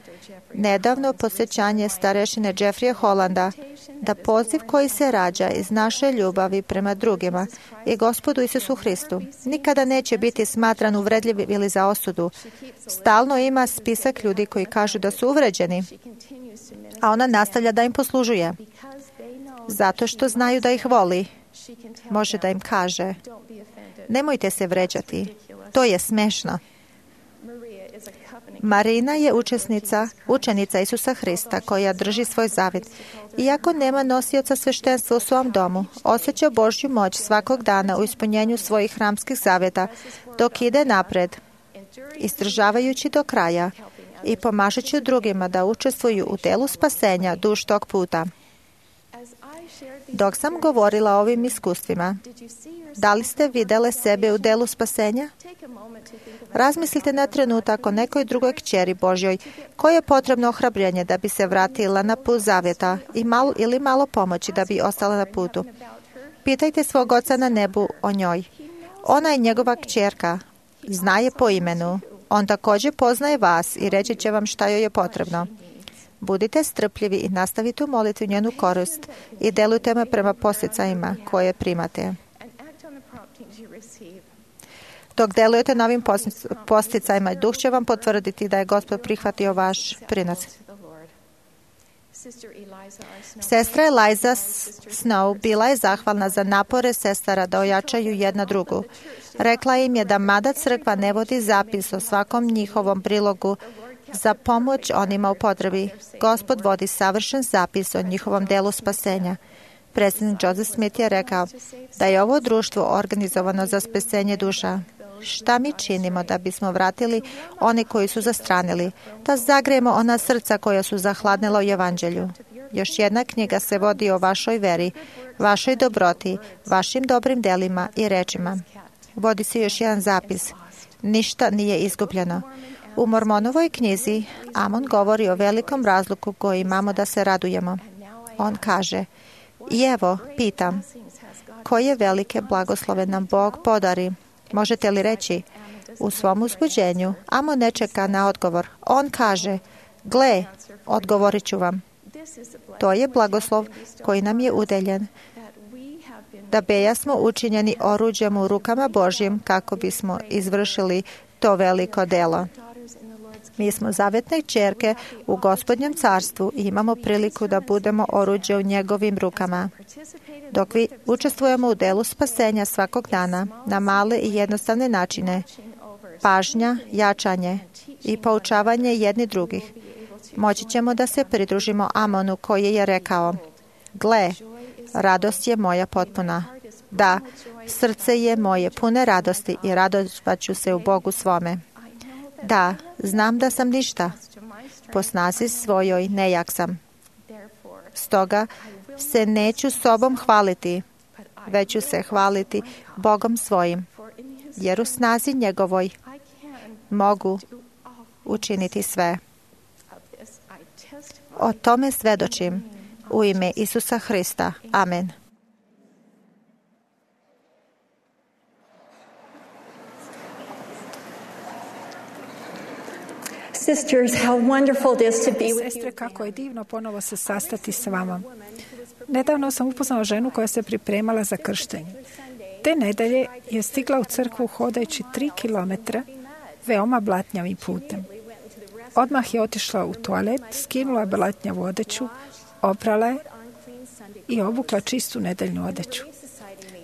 nedavno posjećanje starešine Jeffrija Hollanda da poziv koji se rađa iz naše ljubavi prema drugima i Gospodu Isusu Hristu nikada neće biti smatran uvredljiv ili za osudu. Stalno ima spisak ljudi koji kažu da su uvređeni, a ona nastavlja da im poslužuje. Zato što znaju da ih voli, može da im kaže, nemojte se vređati, to je smešno. Marina je učenica Isusa Hrista koja drži svoj zavjet. Iako nema nosioca sveštenstva u svom domu, osjeća Božju moć svakog dana u ispunjenju svojih hramskih zavjeta dok ide napred, izdržavajući do kraja i pomažući drugima da učestvuju u delu spasenja duž tog puta. Dok sam govorila o ovim iskustvima, da li ste vidjele sebe u delu spasenja? Razmislite na trenutak o nekoj drugoj kćeri Božjoj kojoj je potrebno ohrabrenje da bi se vratila na put zavjeta ili malo pomoći da bi ostala na putu. Pitajte svog Oca na nebu o njoj. Ona je njegova kćerka. Zna je po imenu. On također poznaje vas i reći će vam šta joj je potrebno. Budite strpljivi i nastavite u molitvi njenu korist i delujte me prema posticajima koje primate. Dok delujete novim posticajima, Duh će vam potvrditi da je Gospod prihvatio vaš prinos. Sestra Eliza Snow bila je zahvalna za napore sestara da ojačaju jedna drugu. Rekla im je da mada crkva ne vodi zapis o svakom njihovom prilogu za pomoć onima u potrebi, Gospod vodi savršen zapis o njihovom delu spasenja. Predsjednik Joseph Smith je rekao da je ovo društvo organizovano za spasenje duša. Šta mi činimo da bismo vratili one koji su zastranili, da zagrejemo ona srca koja su zahladnila u evanđelju? Još jedna knjiga se vodi o vašoj veri, vašoj dobroti, vašim dobrim delima i rečima. Vodi se još jedan zapis. Ništa nije izgubljeno. U Mormonovoj knjizi Amon govori o velikom razluku koji imamo da se radujemo. On kaže, i evo, pitam, koje velike blagoslove nam Bog podari? Možete li reći, u svom uzbuđenju Amon ne čeka na odgovor. On kaže, gle, odgovorit ću vam. To je blagoslov koji nam je udeljen, da beja smo učinjeni oruđem u rukama Božjim kako bismo izvršili to veliko delo. Mi smo zavetne kćerke u Gospodnjem carstvu i imamo priliku da budemo oruđe u njegovim rukama. Dok vi učestvujemo u delu spasenja svakog dana na male i jednostavne načine, pažnja, jačanje i poučavanje jedni drugih, moći ćemo da se pridružimo Amonu koji je rekao, gle, radost je moja potpuna. Da, srce je moje pune radosti i radovat ću se u Bogu svome. Da, znam da sam ništa. Po snazi svojoj nejak sam. Stoga se neću sobom hvaliti, već ću se hvaliti Bogom svojim, jer u snazi njegovoj mogu učiniti sve. O tome svedočim u ime Isusa Hrista. Amen. Sisters, how wonderful it is to be with Sestre, you. kako je divno ponovo se sastati s vama. Nedavno sam upoznala ženu koja se pripremala za krštenje. Te nedelje je stigla u crkvu hodajući 3 kilometra veoma blatnjavim putem. Odmah je otišla u toalet, skinula blatnjavu odeću, oprala je i obukla čistu nedeljnu odeću.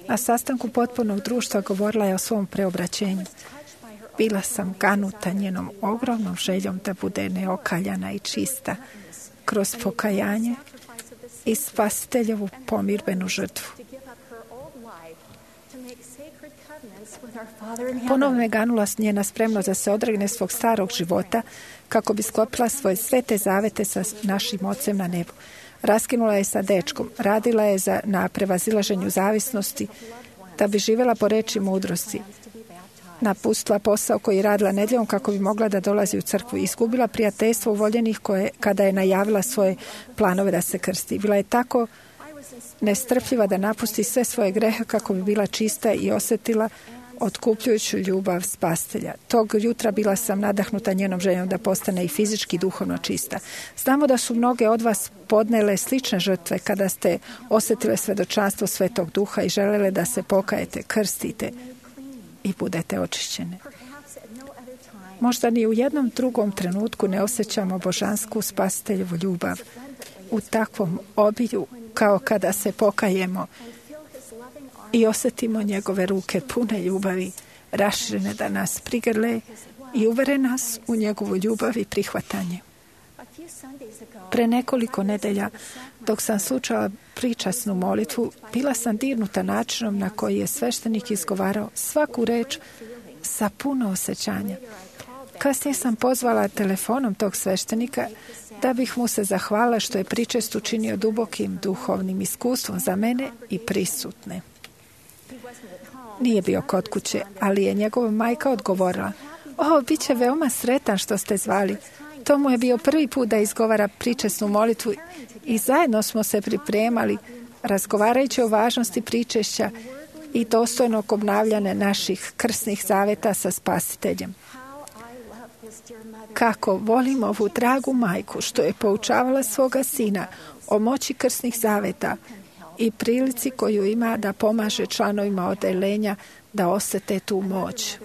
Na sastanku potpornog društva govorila je o svom preobraćenju. Bila sam ganuta njenom ogromnom željom da bude neokaljana i čista kroz pokajanje i spasiteljevu pomirbenu žrtvu. Ponovno je ganula njena spremnost da se odregne svog starog života kako bi sklopila svoje svete zavete sa našim Ocem na nebu. Raskinula je sa dečkom, radila je na prevazilaženju zavisnosti da bi živjela po reči mudrosti. Napustila posao koji je radila nedjeljom kako bi mogla da dolazi u crkvu i izgubila prijateljstvo uvoljenih kada je najavila svoje planove da se krsti. Bila je tako nestrpljiva da napusti sve svoje grehe kako bi bila čista i osjetila otkupljujuću ljubav spasitelja. Tog jutra bila sam nadahnuta njenom željom da postane i fizički i duhovno čista. Znamo da su mnoge od vas podnele slične žrtve kada ste osjetile svjedočanstvo Svetog Duha i želele da se pokajete, krstite i budete očišćene. Možda ni u jednom drugom trenutku ne osjećamo božansku spasiteljevu ljubav u takvom obilju kao kada se pokajemo i osjetimo njegove ruke pune ljubavi, raširene da nas prigrle i uvere nas u njegovu ljubav i prihvatanje. Pre nekoliko nedelja, dok sam slušala pričasnu molitvu, bila sam dirnuta načinom na koji je sveštenik izgovarao svaku reč sa puno osjećanja. Kasnije sam pozvala telefonom tog sveštenika da bih mu se zahvalila što je pričest učinio dubokim duhovnim iskustvom za mene i prisutne. Nije bio kod kuće, ali je njegova majka odgovorila: bit će veoma sretan što ste zvali. To mu je bio prvi put da izgovara pričesnu molitvu i zajedno smo se pripremali, razgovarajući o važnosti pričešća i dostojnog obnavljanja naših krsnih zaveta sa Spasiteljem. Kako volim ovu dragu majku što je poučavala svoga sina o moći krsnih zaveta i prilici koju ima da pomaže članovima odeljenja da osjete tu moć.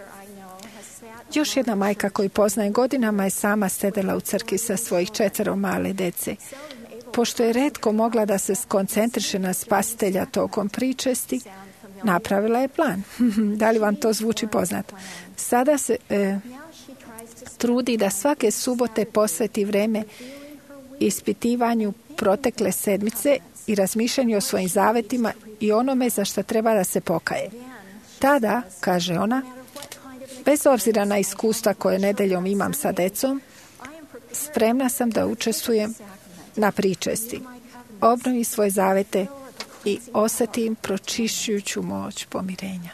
Još jedna majka koju poznaje godinama je sama sedela u crkvi sa svojih 4 male dece. Pošto je retko mogla da se skoncentriše na Spasitelja tokom pričesti, napravila je plan. Da li vam to zvuči poznato? Sada se trudi da svake subote posveti vreme ispitivanju protekle sedmice i razmišljanju o svojim zavetima i onome za što treba da se pokaje. Tada, kaže ona, bez obzira na iskustva koje nedeljom imam sa decom, spremna sam da učestvujem na pričesti, obnovim svoje zavete i osjetim pročišćujuću moć pomirenja.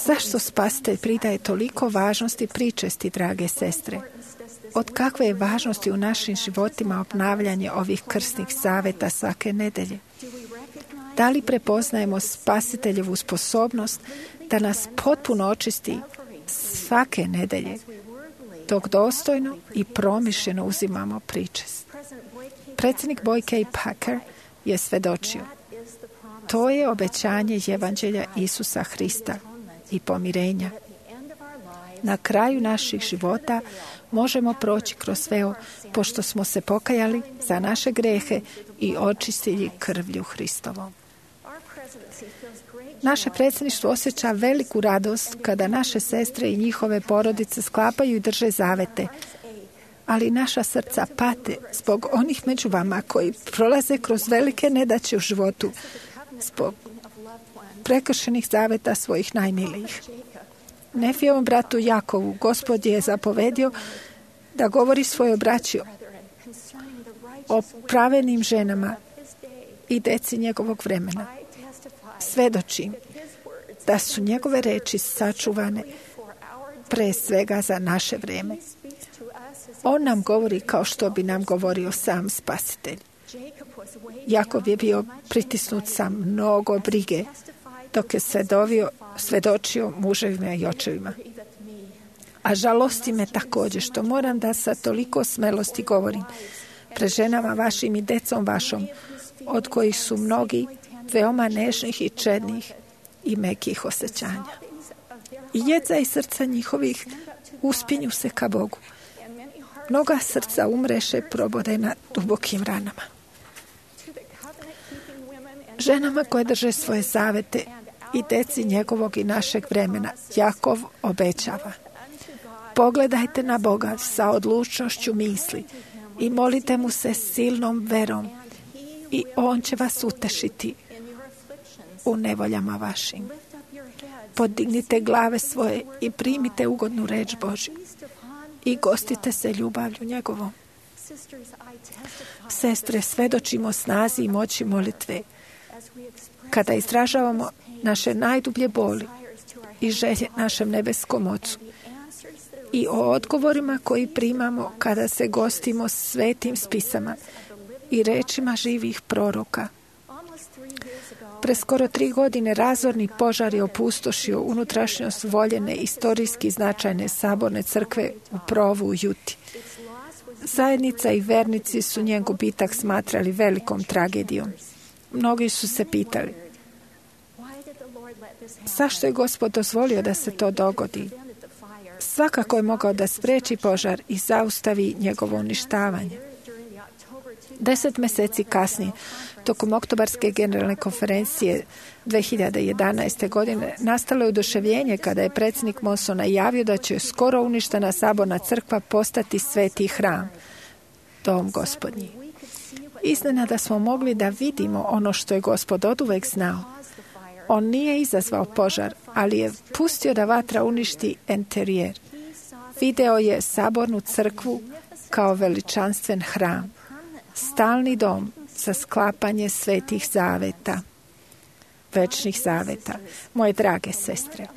Zašto Spasitelj pridaje toliko važnosti pričesti, drage sestre? Od kakve je važnosti u našim životima obnavljanje ovih krsnih zaveta svake nedelje? Da li prepoznajemo Spasiteljevu sposobnost da nas potpuno očisti svake nedelje, dok dostojno i promišljeno uzimamo pričest? Predsjednik Boyd K. Packer je svedočio: to je obećanje Evanđelja Isusa Hrista i pomirenja. Na kraju naših života možemo proći kroz veo, pošto smo se pokajali za naše grehe i očistili krvlju Hristovom. Naše predsjedništvo osjeća veliku radost kada naše sestre i njihove porodice sklapaju i drže zavete, ali naša srca pate zbog onih među vama koji prolaze kroz velike nedaće u životu, zbog prekršenih zaveta svojih najmilijih. Nefijevom bratu Jakovu Gospod je zapovedio da govori svojoj braći o pravednim ženama i deci njegovog vremena. Svedočim da su njegove reči sačuvane pre svega za naše vrijeme. On nam govori kao što bi nam govorio sam Spasitelj. Jakov je bio pritisnut sa mnogo brige dok je svedočio muževima i očevima. A žalosti me također što moram da sa toliko smelosti govorim pred ženama vašim i decom vašom, od kojih su mnogi veoma nežnih i čednih i mekih osjećanja. I jedza i srca njihovih uspinju se ka Bogu. Mnoga srca umreše probodena dubokim ranama. Ženama koje drže svoje zavete i deci njegovog i našeg vremena, Jakov obećava: pogledajte na Boga sa odlučnošću misli i molite mu se silnom verom i on će vas utešiti u nevoljama vašim. Podignite glave svoje i primite ugodnu reč Božju i gostite se ljubavlju njegovom. Sestre, svedočimo snazi i moći molitve kada izražavamo naše najdublje boli i želje našem nebeskom Ocu i o odgovorima koji primamo kada se gostimo svetim spisama i rečima živih proroka. Pre skoro 3 godine razorni požar je opustošio unutrašnjost voljene istorijski značajne saborne crkve u Provu u Juti. Zajednica i vernici su njen gubitak smatrali velikom tragedijom. Mnogi su se pitali: zašto je Gospod dozvolio da se to dogodi? Svakako je mogao da spreči požar i zaustavi njegovo uništavanje. 10 mjeseci kasnije, tokom oktobarske generalne konferencije 2011. godine, nastalo je oduševljenje kada je predsjednik Monson najavio da će skoro uništena saborna crkva postati sveti hram, dom Gospodnji. Iznenada smo mogli da vidimo ono što je Gospod oduvek znao. On nije izazvao požar, ali je pustio da vatra uništi enterijer. Video je sabornu crkvu kao veličanstven hram, stalni dom za sklapanje svetih zaveta, večnih zaveta. Moje drage sestre,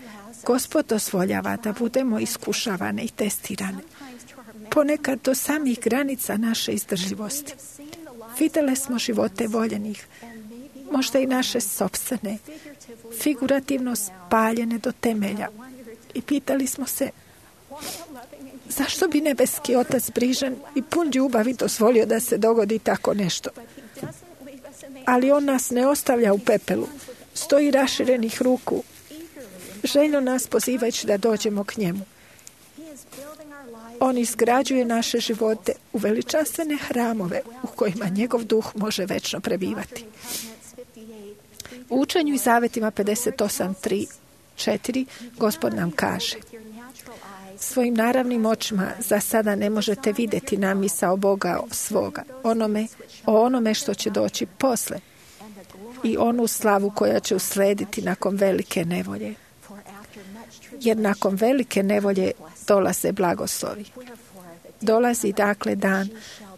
Gospod dozvoljava da budemo iskušavane i testirane, ponekad do samih granica naše izdržljivosti. Vidjeli smo živote voljenih, možda i naše sopstvene, figurativno spaljene do temelja. I pitali smo se, zašto bi nebeski Otac brižan i pun ljubavi dozvolio da se dogodi tako nešto? Ali on nas ne ostavlja u pepelu, stoji raširenih ruku, željno nas pozivajući da dođemo k njemu. On izgrađuje naše živote u veličanstvene hramove u kojima njegov duh može večno prebivati. U učenju i zavetima 58.3.4 Gospod nam kaže: svojim naravnim očima za sada ne možete vidjeti namisao Boga svoga, o onome što će doći posle i onu slavu koja će uslediti nakon velike nevolje. Jer nakon velike nevolje dolaze blagoslovi. Dolazi dakle dan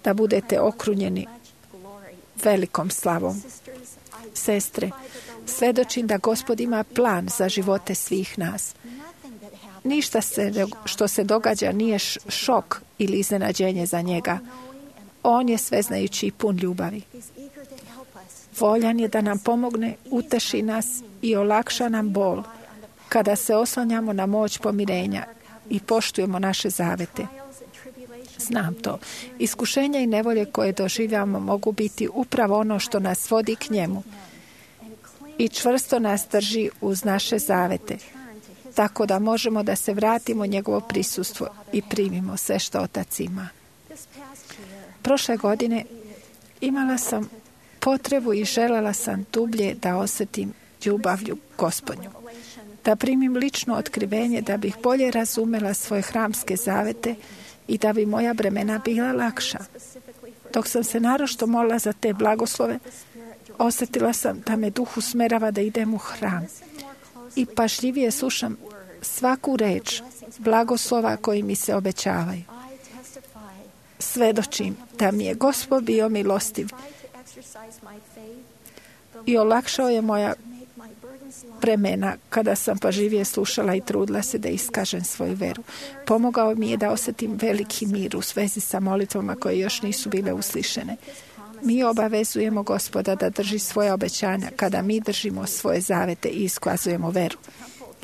da budete okrunjeni velikom slavom. Sestre, svedočim da Gospod ima plan za živote svih nas. Ništa što se događa nije šok ili iznenađenje za njega. On je sveznajući i pun ljubavi. Voljan je da nam pomogne, uteši nas i olakša nam bol kada se oslanjamo na moć pomirenja i poštujemo naše zavete. Znam to. Iskušenja i nevolje koje doživljamo mogu biti upravo ono što nas vodi k njemu i čvrsto nas drži uz naše zavete, tako da možemo da se vratimo u njegovo prisustvo i primimo sve što Otac ima. Prošle godine imala sam potrebu i željela sam dublje da osjetim ljubavlju Gospodnju, da primim lično otkrivenje, da bih bolje razumela svoje hramske zavete i da bi moja bremena bila lakša. Dok sam se naročito molila za te blagoslove, osjetila sam da me duh usmerava da idem u hram i pažljivije slušam svaku reč blagoslova koji mi se obećavaju. Svedočim da mi je Gospod bio milostiv i olakšao je moja vremena kada sam pažljivije slušala i trudila se da iskažem svoju veru. Pomogao mi je da osjetim veliki mir u svezi sa molitvama koje još nisu bile uslišene. Mi obavezujemo Gospoda da drži svoje obećanja kada mi držimo svoje zavete i iskazujemo veru.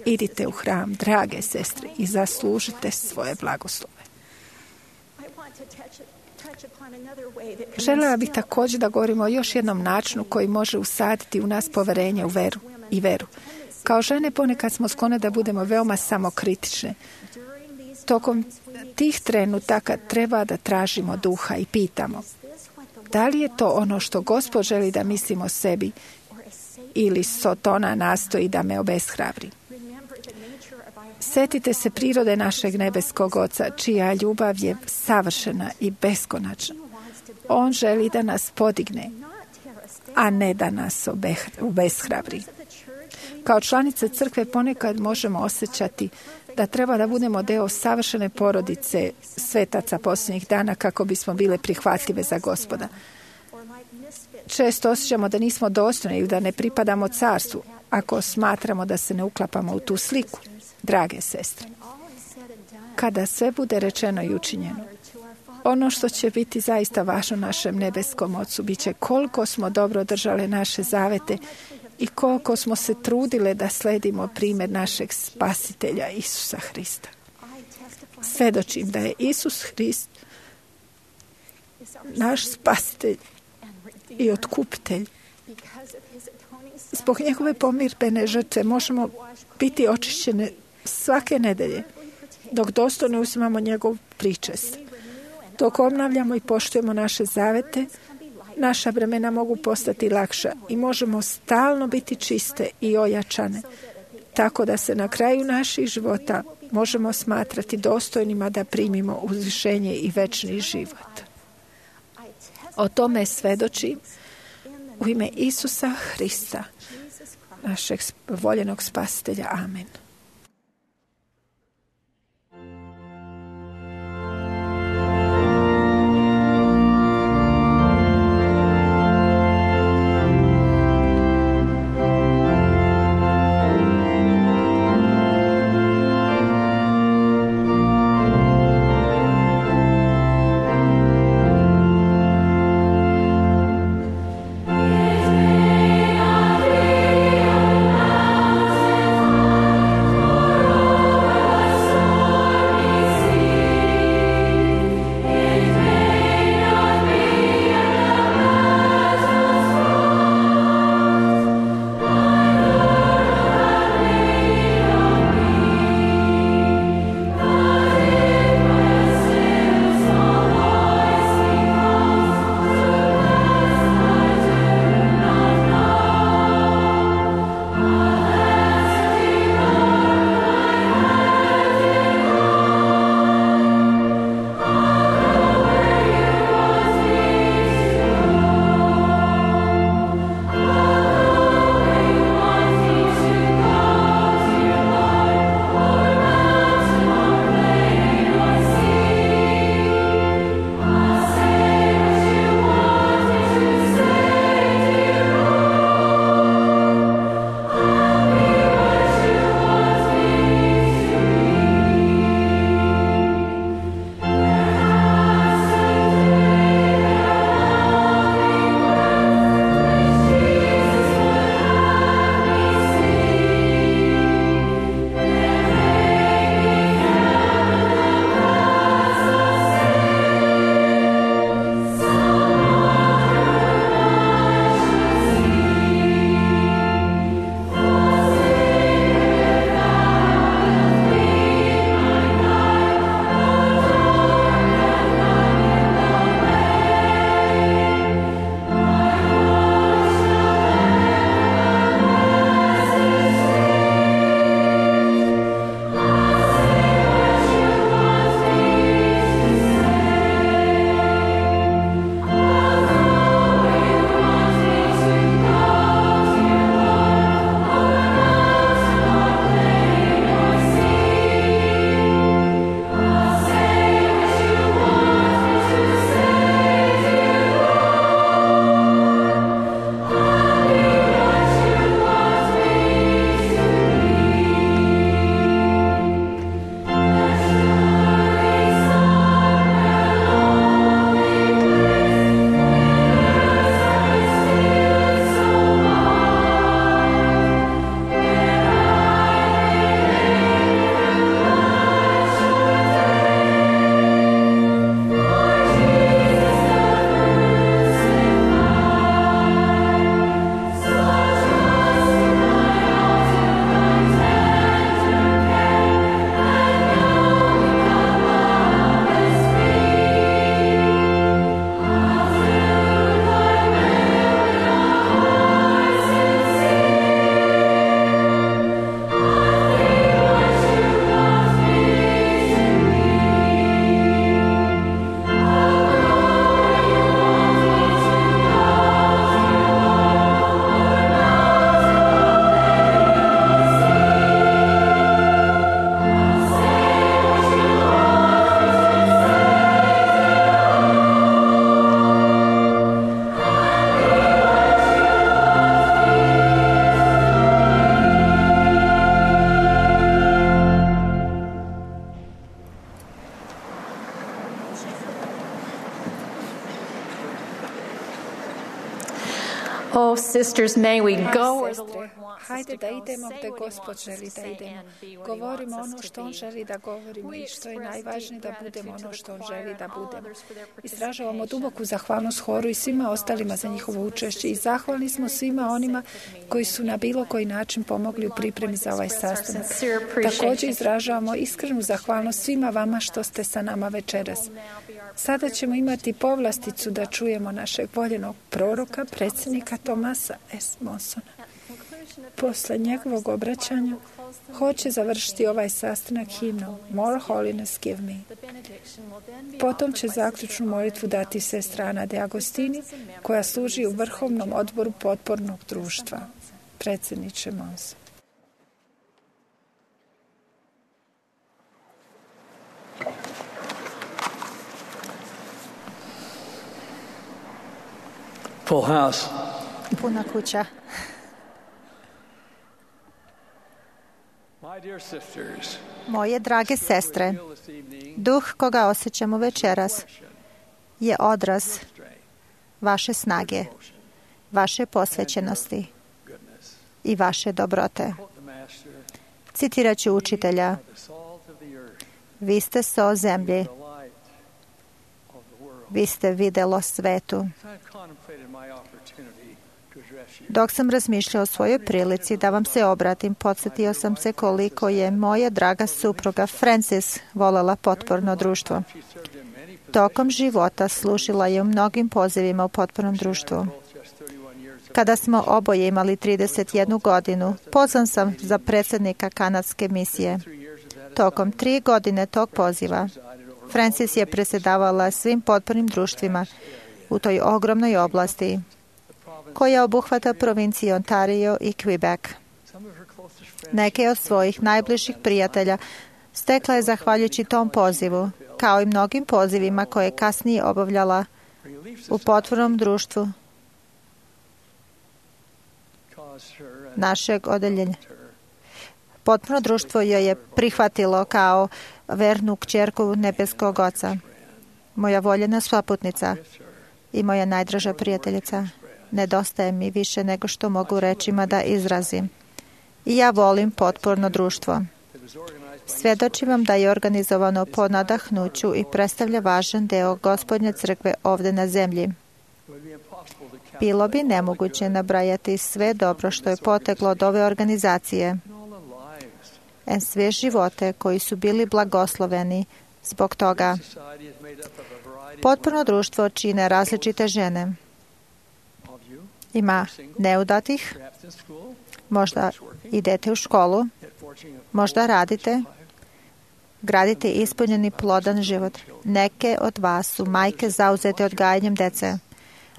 Idite u hram, drage sestre, i zaslužite svoje blagoslove. Željela bih također da govorimo o još jednom načinu koji može usaditi u nas poverenje u veru i veru. Kao žene ponekad smo sklone da budemo veoma samokritične. Tokom tih trenutaka treba da tražimo duha i pitamo: da li je to ono što Gospod želi da mislimo o sebi ili Sotona nastoji da me obeshrabri? Sjetite se prirode našeg nebeskog Oca, čija ljubav je savršena i beskonačna. On želi da nas podigne, a ne da nas obeshrabri. Kao članice crkve ponekad možemo osjećati da treba da budemo deo savršene porodice svetaca posljednjih dana kako bismo bile prihvatljive za Gospoda. Često osjećamo da nismo dostojni ili da ne pripadamo carstvu ako smatramo da se ne uklapamo u tu sliku. Drage sestre, kada sve bude rečeno i učinjeno, ono što će biti zaista važno našem nebeskom Ocu bit će koliko smo dobro držale naše zavete i koliko smo se trudile da sledimo primjer našeg spasitelja Isusa Hrista. Svedočim da je Isus Hrist naš spasitelj i otkupitelj. Zbog njegove pomirbene žrtve možemo biti očišćene svake nedelje, dok dostojno uzimamo njegov pričest. Dok obnavljamo i poštujemo naše zavete, naša vremena mogu postati lakša i možemo stalno biti čiste i ojačane, tako da se na kraju naših života možemo smatrati dostojnima da primimo uzvišenje i večni život. O tome svedočim u ime Isusa Hrista, našeg voljenog spasitelja. Amen. Oh, sisters, may we go where the Lord Sestre, wants us hajde to da go. idemo Say gde what He Gospod wants us želi to da say idemo. and be what He Govorimo wants ono us što to On be. želi da govorimo We i što je express najvažnije deep da budemo gratitude ono to što On the želi choir da and all budemo. others for their Izražavamo participation. duboku zahvalnost horu i svima ostalima za njihovo učešće i zahvalni smo svima onima koji su na bilo koji način pomogli u pripremi za ovaj sastanak. Također izražavamo iskrenu zahvalnost svima vama što ste sa nama večeras. Sada ćemo imati povlasticu da čujemo našeg voljenog proroka, predsjednika Tomasa S. Monsona. Posle njegovog obraćanja hoće završiti ovaj sastanak himnom More Holiness Give Me. Potom će zaključnu molitvu dati sestra Ana de Agostini, koja služi u Vrhovnom odboru potpornog društva. Predsjedniče Monson. Full house. Puna kuća. My dear sisters, Moje drage sestre, duh koga osjećamo večeras je odraz vaše snage, vaše posvećenosti i vaše dobrote. Citirat ću učitelja: vi ste so zemlji, vi ste videlo svetu. Dok sam razmišljao o svojoj prilici da vam se obratim, podsjetio sam se koliko je moja draga supruga Frances volela potporno društvo. Tokom života služila je u mnogim pozivima u potpornom društvu. Kada smo oboje imali 31 godinu, pozvan sam za predsjednika kanadske misije. Tokom 3 godine tog poziva, Frances je predsjedavala svim potpornim društvima u toj ogromnoj oblasti, koja obuhvata provincije Ontario i Quebec. Neke od svojih najbližih prijatelja stekla je zahvaljujući tom pozivu, kao i mnogim pozivima koje je kasnije obavljala u potpornom društvu našeg odeljenja. Potporno društvo joj je prihvatilo kao vernu kćerku nebeskog Oca. Moja voljena svaputnica i moja najdraža prijateljica. Nedostaje mi više nego što mogu rečima da izrazim. I ja volim potporno društvo. Svjedočim vam da je organizovano po nadahnuću i predstavlja važan deo Gospodnje crkve ovdje na zemlji. Bilo bi nemoguće nabrajati sve dobro što je poteklo od ove organizacije, sve živote koji su bili blagosloveni zbog toga. Potporno društvo čine različite žene. Ima neudatih, možda idete u školu, možda radite, gradite ispunjeni plodan život. Neke od vas su majke zauzete odgajanjem dece,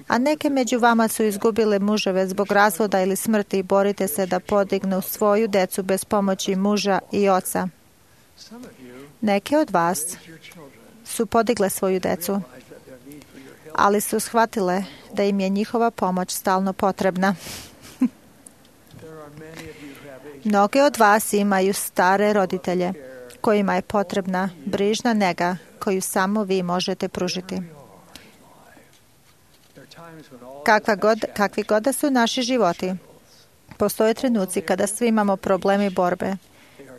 a neke među vama su izgubile muževe zbog razvoda ili smrti i borite se da podignu svoju decu bez pomoći muža i oca. Neke od vas su podigle svoju decu, ali su shvatile da im je njihova pomoć stalno potrebna. Mnoge od vas imaju stare roditelje kojima je potrebna brižna nega koju samo vi možete pružiti. Kakvi god da su naši životi, postoje trenuci kada svi imamo probleme i borbe,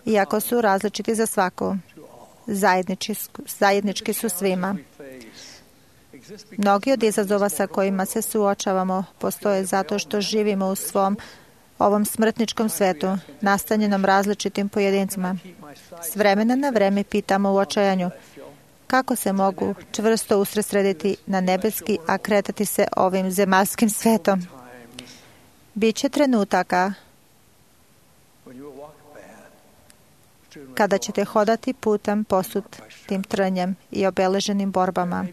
iako su različiti za svaku. Zajednički su svima. Mnogi od izazova sa kojima se suočavamo postoje zato što živimo u svom ovom smrtničkom svetu, nastanjenom različitim pojedincima. S vremena na vreme pitamo u očajanju kako se mogu čvrsto usredsrediti na nebeski, a kretati se ovim zemaljskim svetom. Biće trenutaka kada ćete hodati putem posut tim trnjem i obeleženim borbama.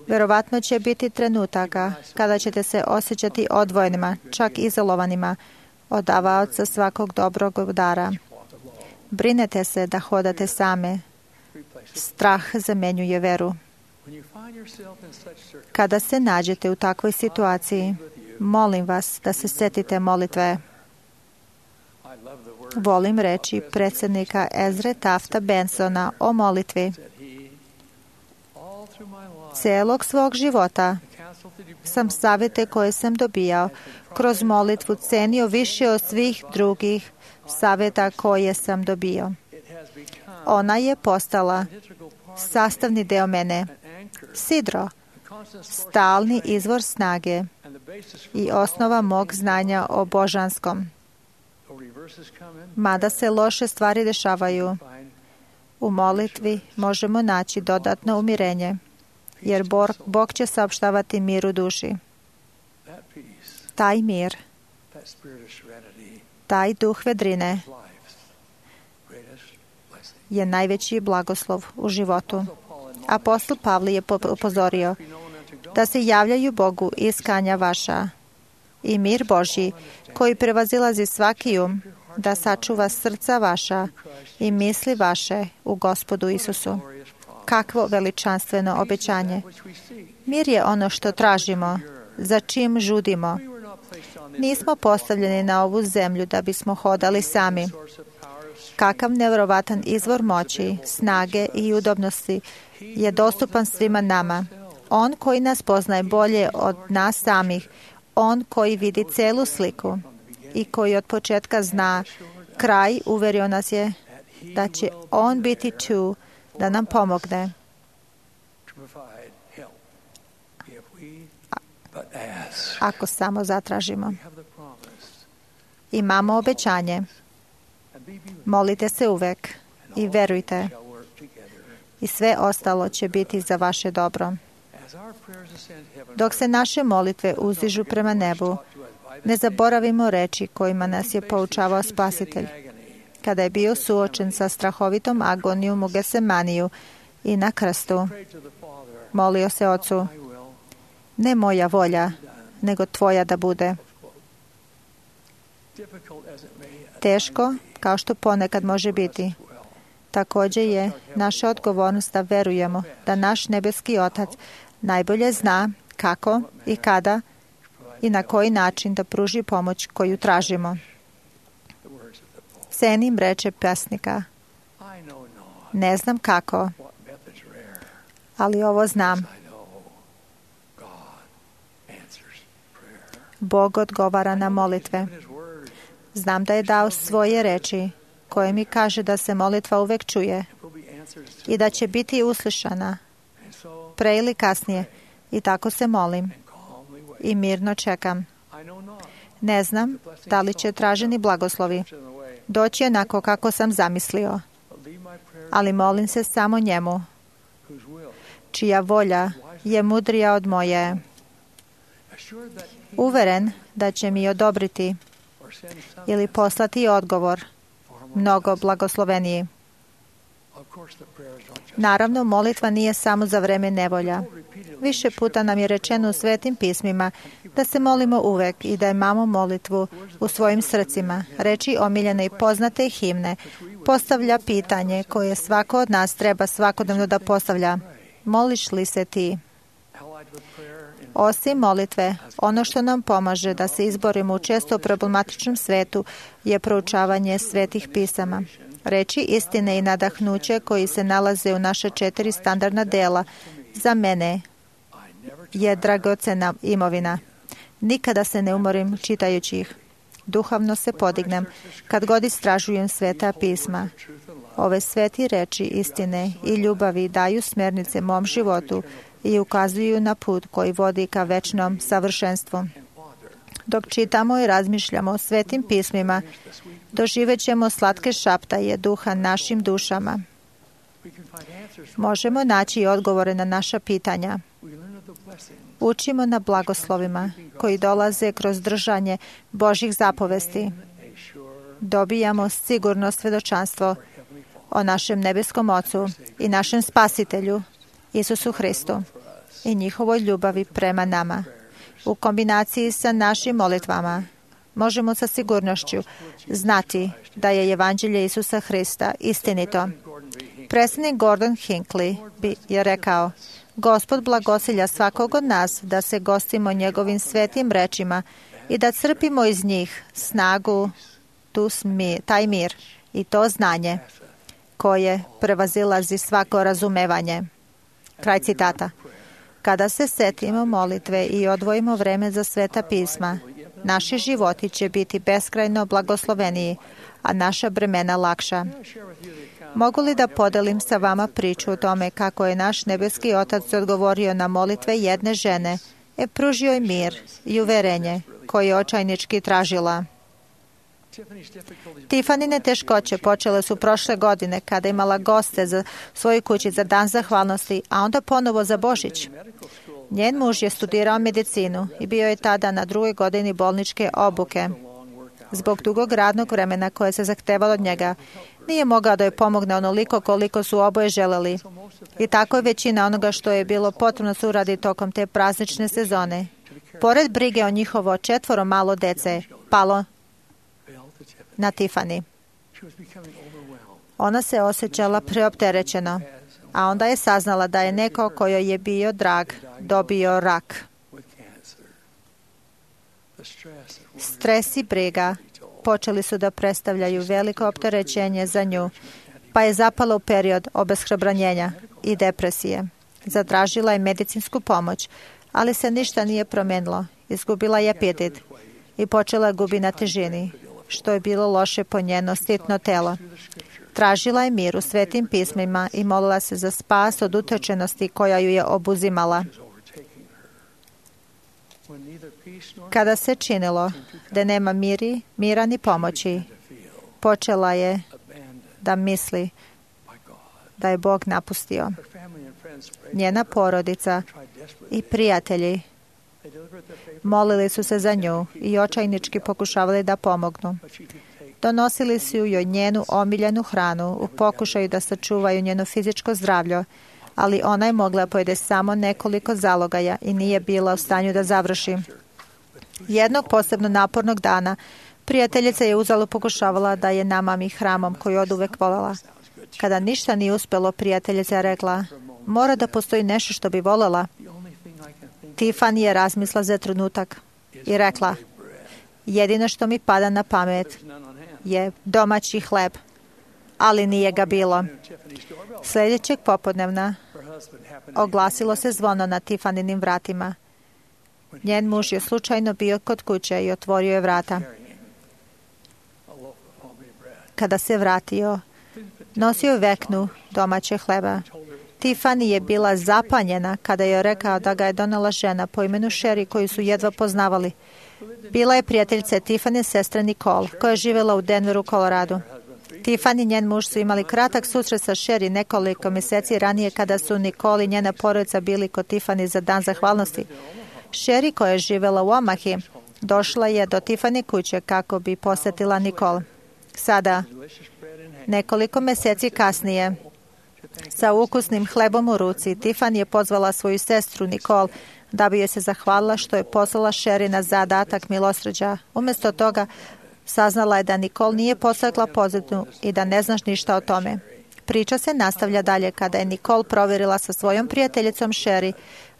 Verovatno će biti trenutaka kada ćete se osjećati odvojenima, čak izolovanima od davaoca svakog dobrog dara. Brinete se da hodate same. Strah zamenjuje veru. Kada se nađete u takvoj situaciji, molim vas da se setite molitve. Volim reći predsjednika Ezre Tafta Bensona o molitvi. Celog svog života sam savjete koje sam dobijao kroz molitvu cenio više od svih drugih savjeta koje sam dobio. Ona je postala sastavni deo mene, sidro, stalni izvor snage i osnova mog znanja o božanskom. Mada se loše stvari dešavaju, u molitvi možemo naći dodatno umirenje, jer Bog će saopštavati mir u duši. Taj mir, taj duh vedrine je najveći blagoslov u životu. Apostol Pavle je upozorio da se javljaju Bogu iskanja vaša i mir Božji koji prevazilazi svaki da sačuva srca vaša i misli vaše u Gospodu Isusu. Kakvo veličanstveno obećanje. Mir je ono što tražimo, za čim žudimo. Nismo postavljeni na ovu zemlju da bismo hodali sami. Kakav nevjerovatan izvor moći, snage i udobnosti je dostupan svima nama. On koji nas poznaje bolje od nas samih, on koji vidi celu sliku i koji od početka zna kraj, uverio nas je da će on biti tu da nam pomogne. Ako samo zatražimo. Imamo obećanje. Molite se uvek i verujte. I sve ostalo će biti za vaše dobro. Dok se naše molitve uzdižu prema nebu, ne zaboravimo reči kojima nas je poučavao Spasitelj. Kada je bio suočen sa strahovitom agonijom u Gesemaniju i na krstu, molio se Ocu, ne moja volja, nego tvoja da bude. Teško, kao što ponekad može biti. Također je naša odgovornost da verujemo da naš nebeski Otac najbolje zna kako i kada i na koji način da pruži pomoć koju tražimo. Cenim reče pesnika. Ne znam kako, ali ovo znam. Bog odgovara na molitve. Znam da je dao svoje reči koje mi kaže da se molitva uvek čuje i da će biti uslišana pre ili kasnije. I tako se molim i mirno čekam. Ne znam da li će traženi blagoslovi doći onako kako sam zamislio, ali molim se samo njemu, čija volja je mudrija od moje. Uveren da će mi odobriti ili poslati odgovor mnogo blagosloveniji. Naravno, molitva nije samo za vreme nevolja. Više puta nam je rečeno u Svetim pismima da se molimo uvek i da imamo molitvu u svojim srcima. Reči omiljene i poznate himne postavlja pitanje koje svako od nas treba svakodnevno da postavlja. Moliš li se ti? Osim molitve, ono što nam pomaže da se izborimo u često problematičnom svetu je proučavanje Svetih pisama. Reči istine i nadahnuće koji se nalaze u naše 4 standardna dela za mene je dragocena imovina. Nikada se ne umorim čitajući ih. Duhovno se podignem kad god istražujem Sveta pisma. Ove sveti reči istine i ljubavi daju smjernice mom životu i ukazuju na put koji vodi ka večnom savršenstvu. Dok čitamo i razmišljamo o Svetim pismima, doživet ćemo slatke šaptaje duha našim dušama. Možemo naći odgovore na naša pitanja. Učimo na blagoslovima koji dolaze kroz držanje Božjih zapovesti. Dobijamo sigurno svjedočanstvo o našem nebeskom Ocu i našem Spasitelju, Isusu Hristu, i njihovoj ljubavi prema nama. U kombinaciji sa našim molitvama možemo sa sigurnošću znati da je evanđelje Isusa Hrista istinito. Predsjednik Gordon Hinckley je rekao: Gospod blagosilja svakog od nas da se gostimo njegovim svetim rečima i da crpimo iz njih snagu, taj mir i to znanje koje prevazilazi svako razumevanje. Kraj citata. Kada se setimo molitve i odvojimo vreme za sveta pisma, naši životi će biti beskrajno blagosloveniji, a naša bremena lakša. Mogu li da podelim sa vama priču o tome kako je naš nebeski Otac odgovorio na molitve jedne žene i pružio je mir i uverenje koje je očajnički tražila? Tifanine teškoće počele su prošle godine kada je imala goste za svoju kući za dan zahvalnosti, a onda ponovo za Božić. Njen muž je studirao medicinu i bio je tada na 2. godini bolničke obuke. Zbog dugog radnog vremena koje se zahtevalo od njega, nije mogao da joj pomogne onoliko koliko su oboje želeli. I tako je većina onoga što je bilo potrebno se uradi tokom te praznične sezone. Pored brige o njihovo 4 malo dece, palo na Tifani. Ona se osjećala preopterećeno, a onda je saznala da je neko kojoj je bio drag dobio rak. Stres i briga počeli su da predstavljaju veliko opterećenje za nju, pa je zapala u period obeshrabranjenja i depresije. Zatražila je medicinsku pomoć, ali se ništa nije promenilo. Izgubila je apetit i počela gubi na težini, što je bilo loše po njeno sitno telo. Tražila je mir u svetim pismima i molila se za spas od utečenosti koja ju je obuzimala. Kada se činilo da nema mira ni pomoći, počela je da misli da je Bog napustio. Njena porodica i prijatelji molili su se za nju i očajnički pokušavali da pomognu. Donosili su joj njenu omiljenu hranu u pokušaju da sačuvaju njeno fizičko zdravlje, ali ona je mogla pojede samo nekoliko zalogaja i nije bila u stanju da završi. Jednog posebno napornog dana prijateljica je uzalud pokušavala da je namami hranom koju oduvek voljela. Kada ništa nije uspelo, prijateljica je rekla: mora da postoji nešto što bi voljela. Tiffany je razmisla za trenutak i rekla: jedino što mi pada na pamet je domaći hleb, ali nije ga bilo. Sljedećeg popodnevna oglasilo se zvono na Tiffanynim vratima. Njen muž je slučajno bio kod kuće i otvorio je vrata. Kada se vratio, nosio veknu domaće hleba. Tiffany je bila zapanjena kada je rekao da ga je donela žena po imenu Sherry koju su jedva poznavali. Bila je prijateljica Tiffany sestre Nicole, koja je živjela u Denveru, Koloradu. Tiffany i njen muž su imali kratak susret sa Sherry nekoliko mjeseci ranije kada su Nicole i njena porodica bili kod Tiffany za dan zahvalnosti. Sherry, koja je živjela u Omahi, došla je do Tiffany kuće kako bi posjetila Nicole. Sada, nekoliko mjeseci kasnije, sa ukusnim hlebom u ruci, Tiffany je pozvala svoju sestru Nicole da bi joj se zahvalila što je poslala Sherry na zadatak milosrđa. Umjesto toga, saznala je da Nicole nije posegla pozadnju i da ne znaš ništa o tome. Priča se nastavlja dalje kada je Nicole provjerila sa svojom prijateljicom Sherry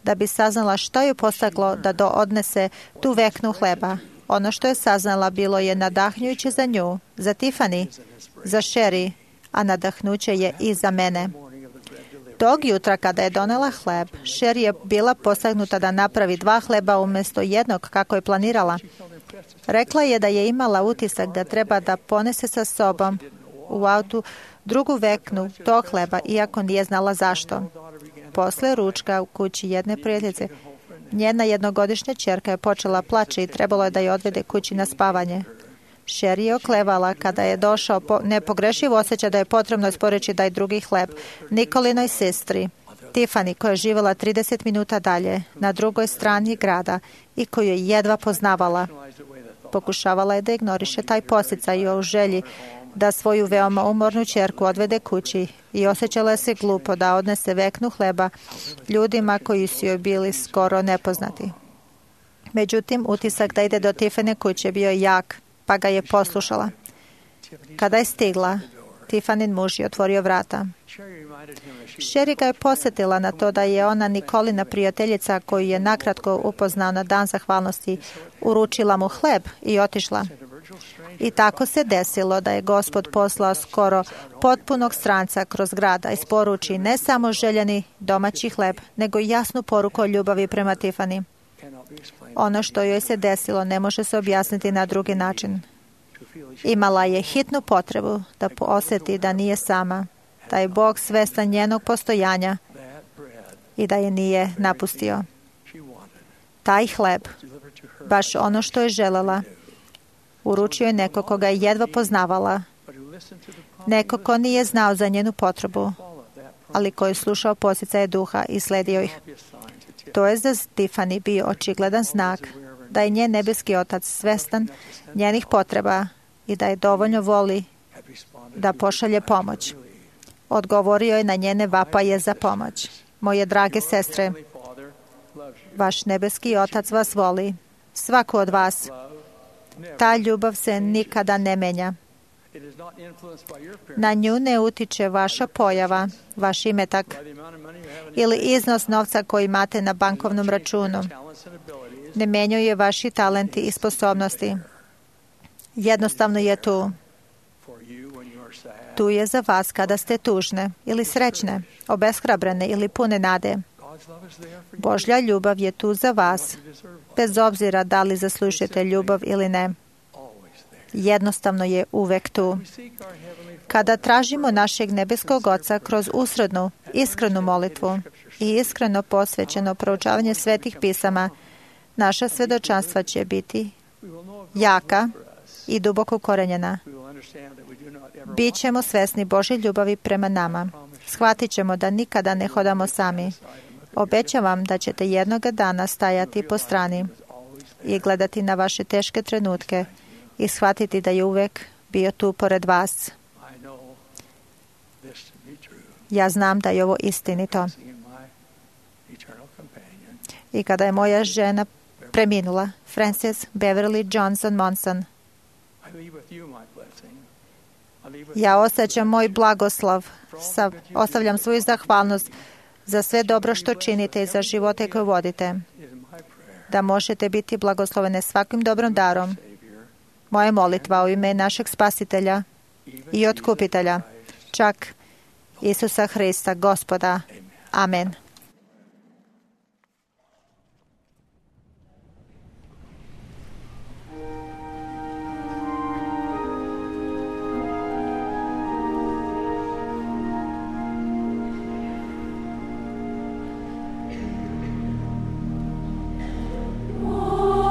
da bi saznala što je poseglo da odnese tu veknu hleba. Ono što je saznala bilo je nadahnjujuće za nju, za Tiffany, za Sherry, a nadahnuće je i za mene. Tog jutra kada je donela hleb, Sherry je bila posegnuta da napravi 2 hleba umjesto jednog kako je planirala. Rekla je da je imala utisak da treba da ponese sa sobom u autu drugu veknu tog hleba, iako nije znala zašto. Posle ručka u kući jedne prijateljice, njena jednogodišnja ćerka je počela plaći i trebalo je da je odvede kući na spavanje. Sherry je oklevala kada je došao nepogrešiv osjećaj da je potrebno isporučiti da je drugi hleb Nicolinoj sestri, Tiffany, koja je živjela 30 minuta dalje, na drugoj strani grada i koju je jedva poznavala. Pokušavala je da ignoriše taj podsticaj u želji da svoju veoma umornu ćerku odvede kući i osjećala se glupo da odnese veknu hleba ljudima koji su joj bili skoro nepoznati. Međutim, utisak da ide do Tiffany kuće bio jak, pa ga je poslušala. Kada je stigla, Tiffanin muž je otvorio vrata. Sherry ga je posjetila na to da je ona Nikolina prijateljica koju je nakratko upoznao na dan zahvalnosti, uručila mu hleb i otišla. I tako se desilo da je Gospod poslao skoro potpunog stranca kroz grad, da isporuči ne samo željeni domaći hleb, nego i jasnu poruku o ljubavi prema Tiffany. Ono što joj se desilo ne može se objasniti na drugi način. Imala je hitnu potrebu da osjeti da nije sama, da je Bog svestan njenog postojanja i da je nije napustio. Taj hleb, baš ono što je želela, uručio je neko koga je jedva poznavala, neko ko nije znao za njenu potrebu, ali koji je slušao poticaje duha i sledio ih. To je za Tiffany bio očigledan znak da je njen nebeski otac svestan njenih potreba i da je dovoljno voli da pošalje pomoć. Odgovorio je na njene vapaje za pomoć. Moje drage sestre, vaš nebeski otac vas voli, svaku od vas. Ta ljubav se nikada ne menja. Na nju ne utiče vaša pojava, vaš imetak ili iznos novca koji imate na bankovnom računu. Ne menjaju vaši talenti i sposobnosti. Jednostavno je tu. Tu je za vas kada ste tužne ili srećne, obeshrabrene ili pune nade. Božja ljubav je tu za vas, bez obzira da li zaslužujete ljubav ili ne. Jednostavno je uvek tu. Kada tražimo našeg nebeskog Oca kroz usrednu, iskrenu molitvu i iskreno posvećeno proučavanje svetih pisama, naša svedočanstva će biti jaka i duboko ukorenjena. Bićemo svesni Božje ljubavi prema nama. Shvatit ćemo da nikada ne hodamo sami. Obećavam da ćete jednoga dana stajati po strani i gledati na vaše teške trenutke i shvatiti da je uvek bio tu pored vas. Ja znam da je ovo istinito. I kada je moja žena preminula, Frances Beverly Johnson Monson, ja osjećam moj blagoslov, ostavljam svoju zahvalnost za sve dobro što činite i za živote koje vodite, da možete biti blagoslovene svakim dobrom darom. Moja molitva u ime našeg Spasitelja i Otkupitelja, čak Isusa Hrista, Gospoda. Amen. More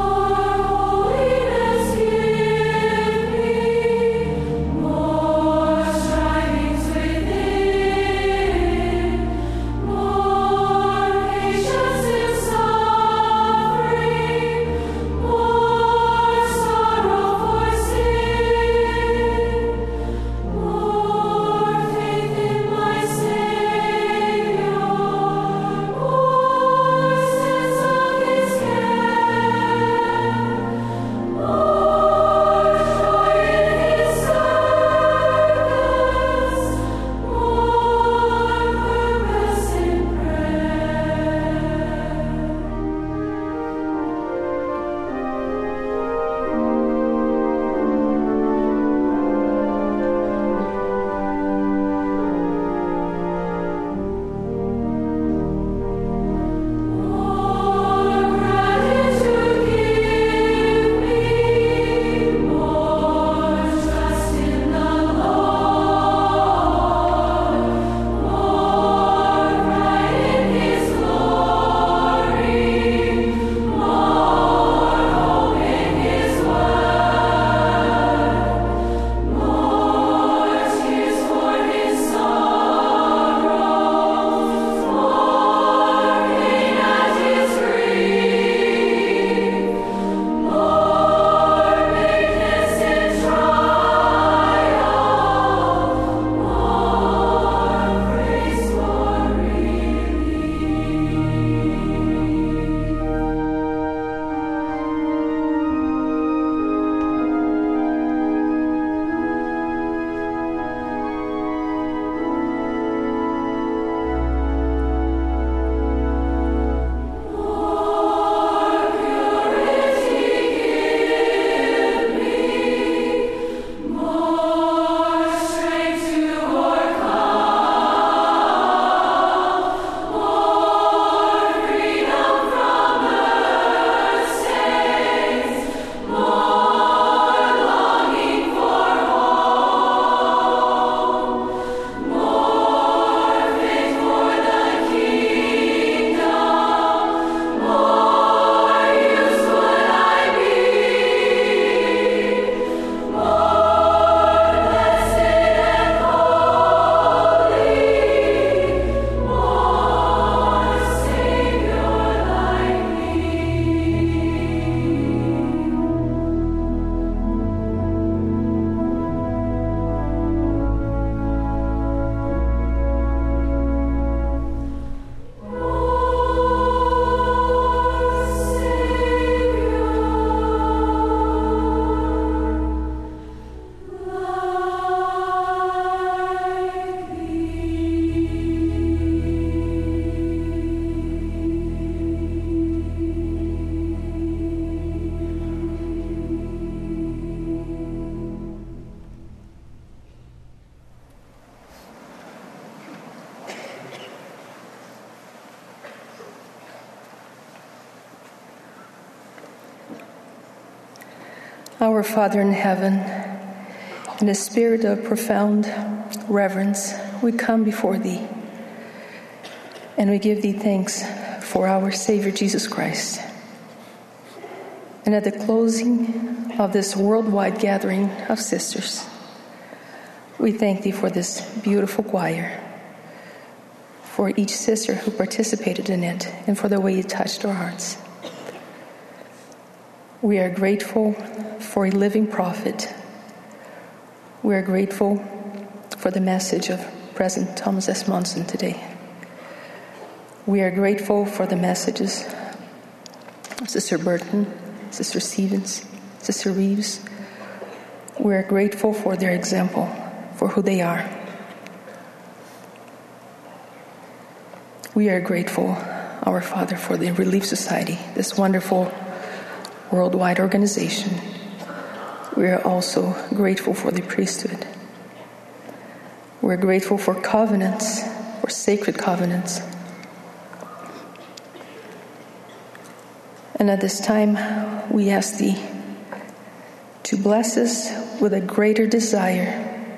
Our Father in heaven, in a spirit of profound reverence, we come before Thee, and we give Thee thanks for our Savior Jesus Christ. And at the closing of this worldwide gathering of sisters, we thank Thee for this beautiful choir, for each sister who participated in it, and for the way it touched our hearts. We are grateful for a living prophet. We are grateful for the message of President Thomas S. Monson today. We are grateful for the messages of Sister Burton, Sister Stevens, Sister Reeves. We are grateful for their example, for who they are. We are grateful, our Father, for the Relief Society, this wonderful worldwide organization. We are also grateful for the priesthood. We're grateful for covenants, for sacred covenants. And at this time, we ask Thee to bless us with a greater desire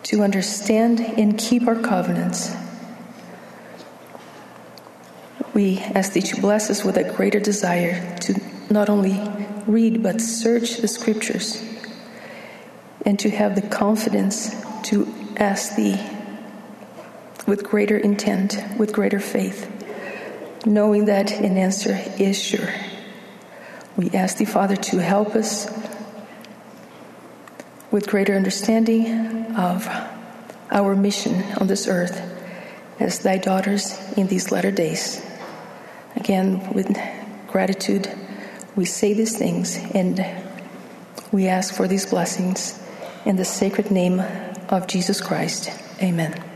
to understand and keep our covenants. We ask Thee to bless us with a greater desire to not only read but search the Scriptures, and to have the confidence to ask Thee with greater intent, with greater faith, knowing that an answer is sure. We ask Thee, Father, to help us with greater understanding of our mission on this earth as Thy daughters in these latter days. Again, with gratitude, we say these things, and we ask for these blessings in the sacred name of Jesus Christ. Amen.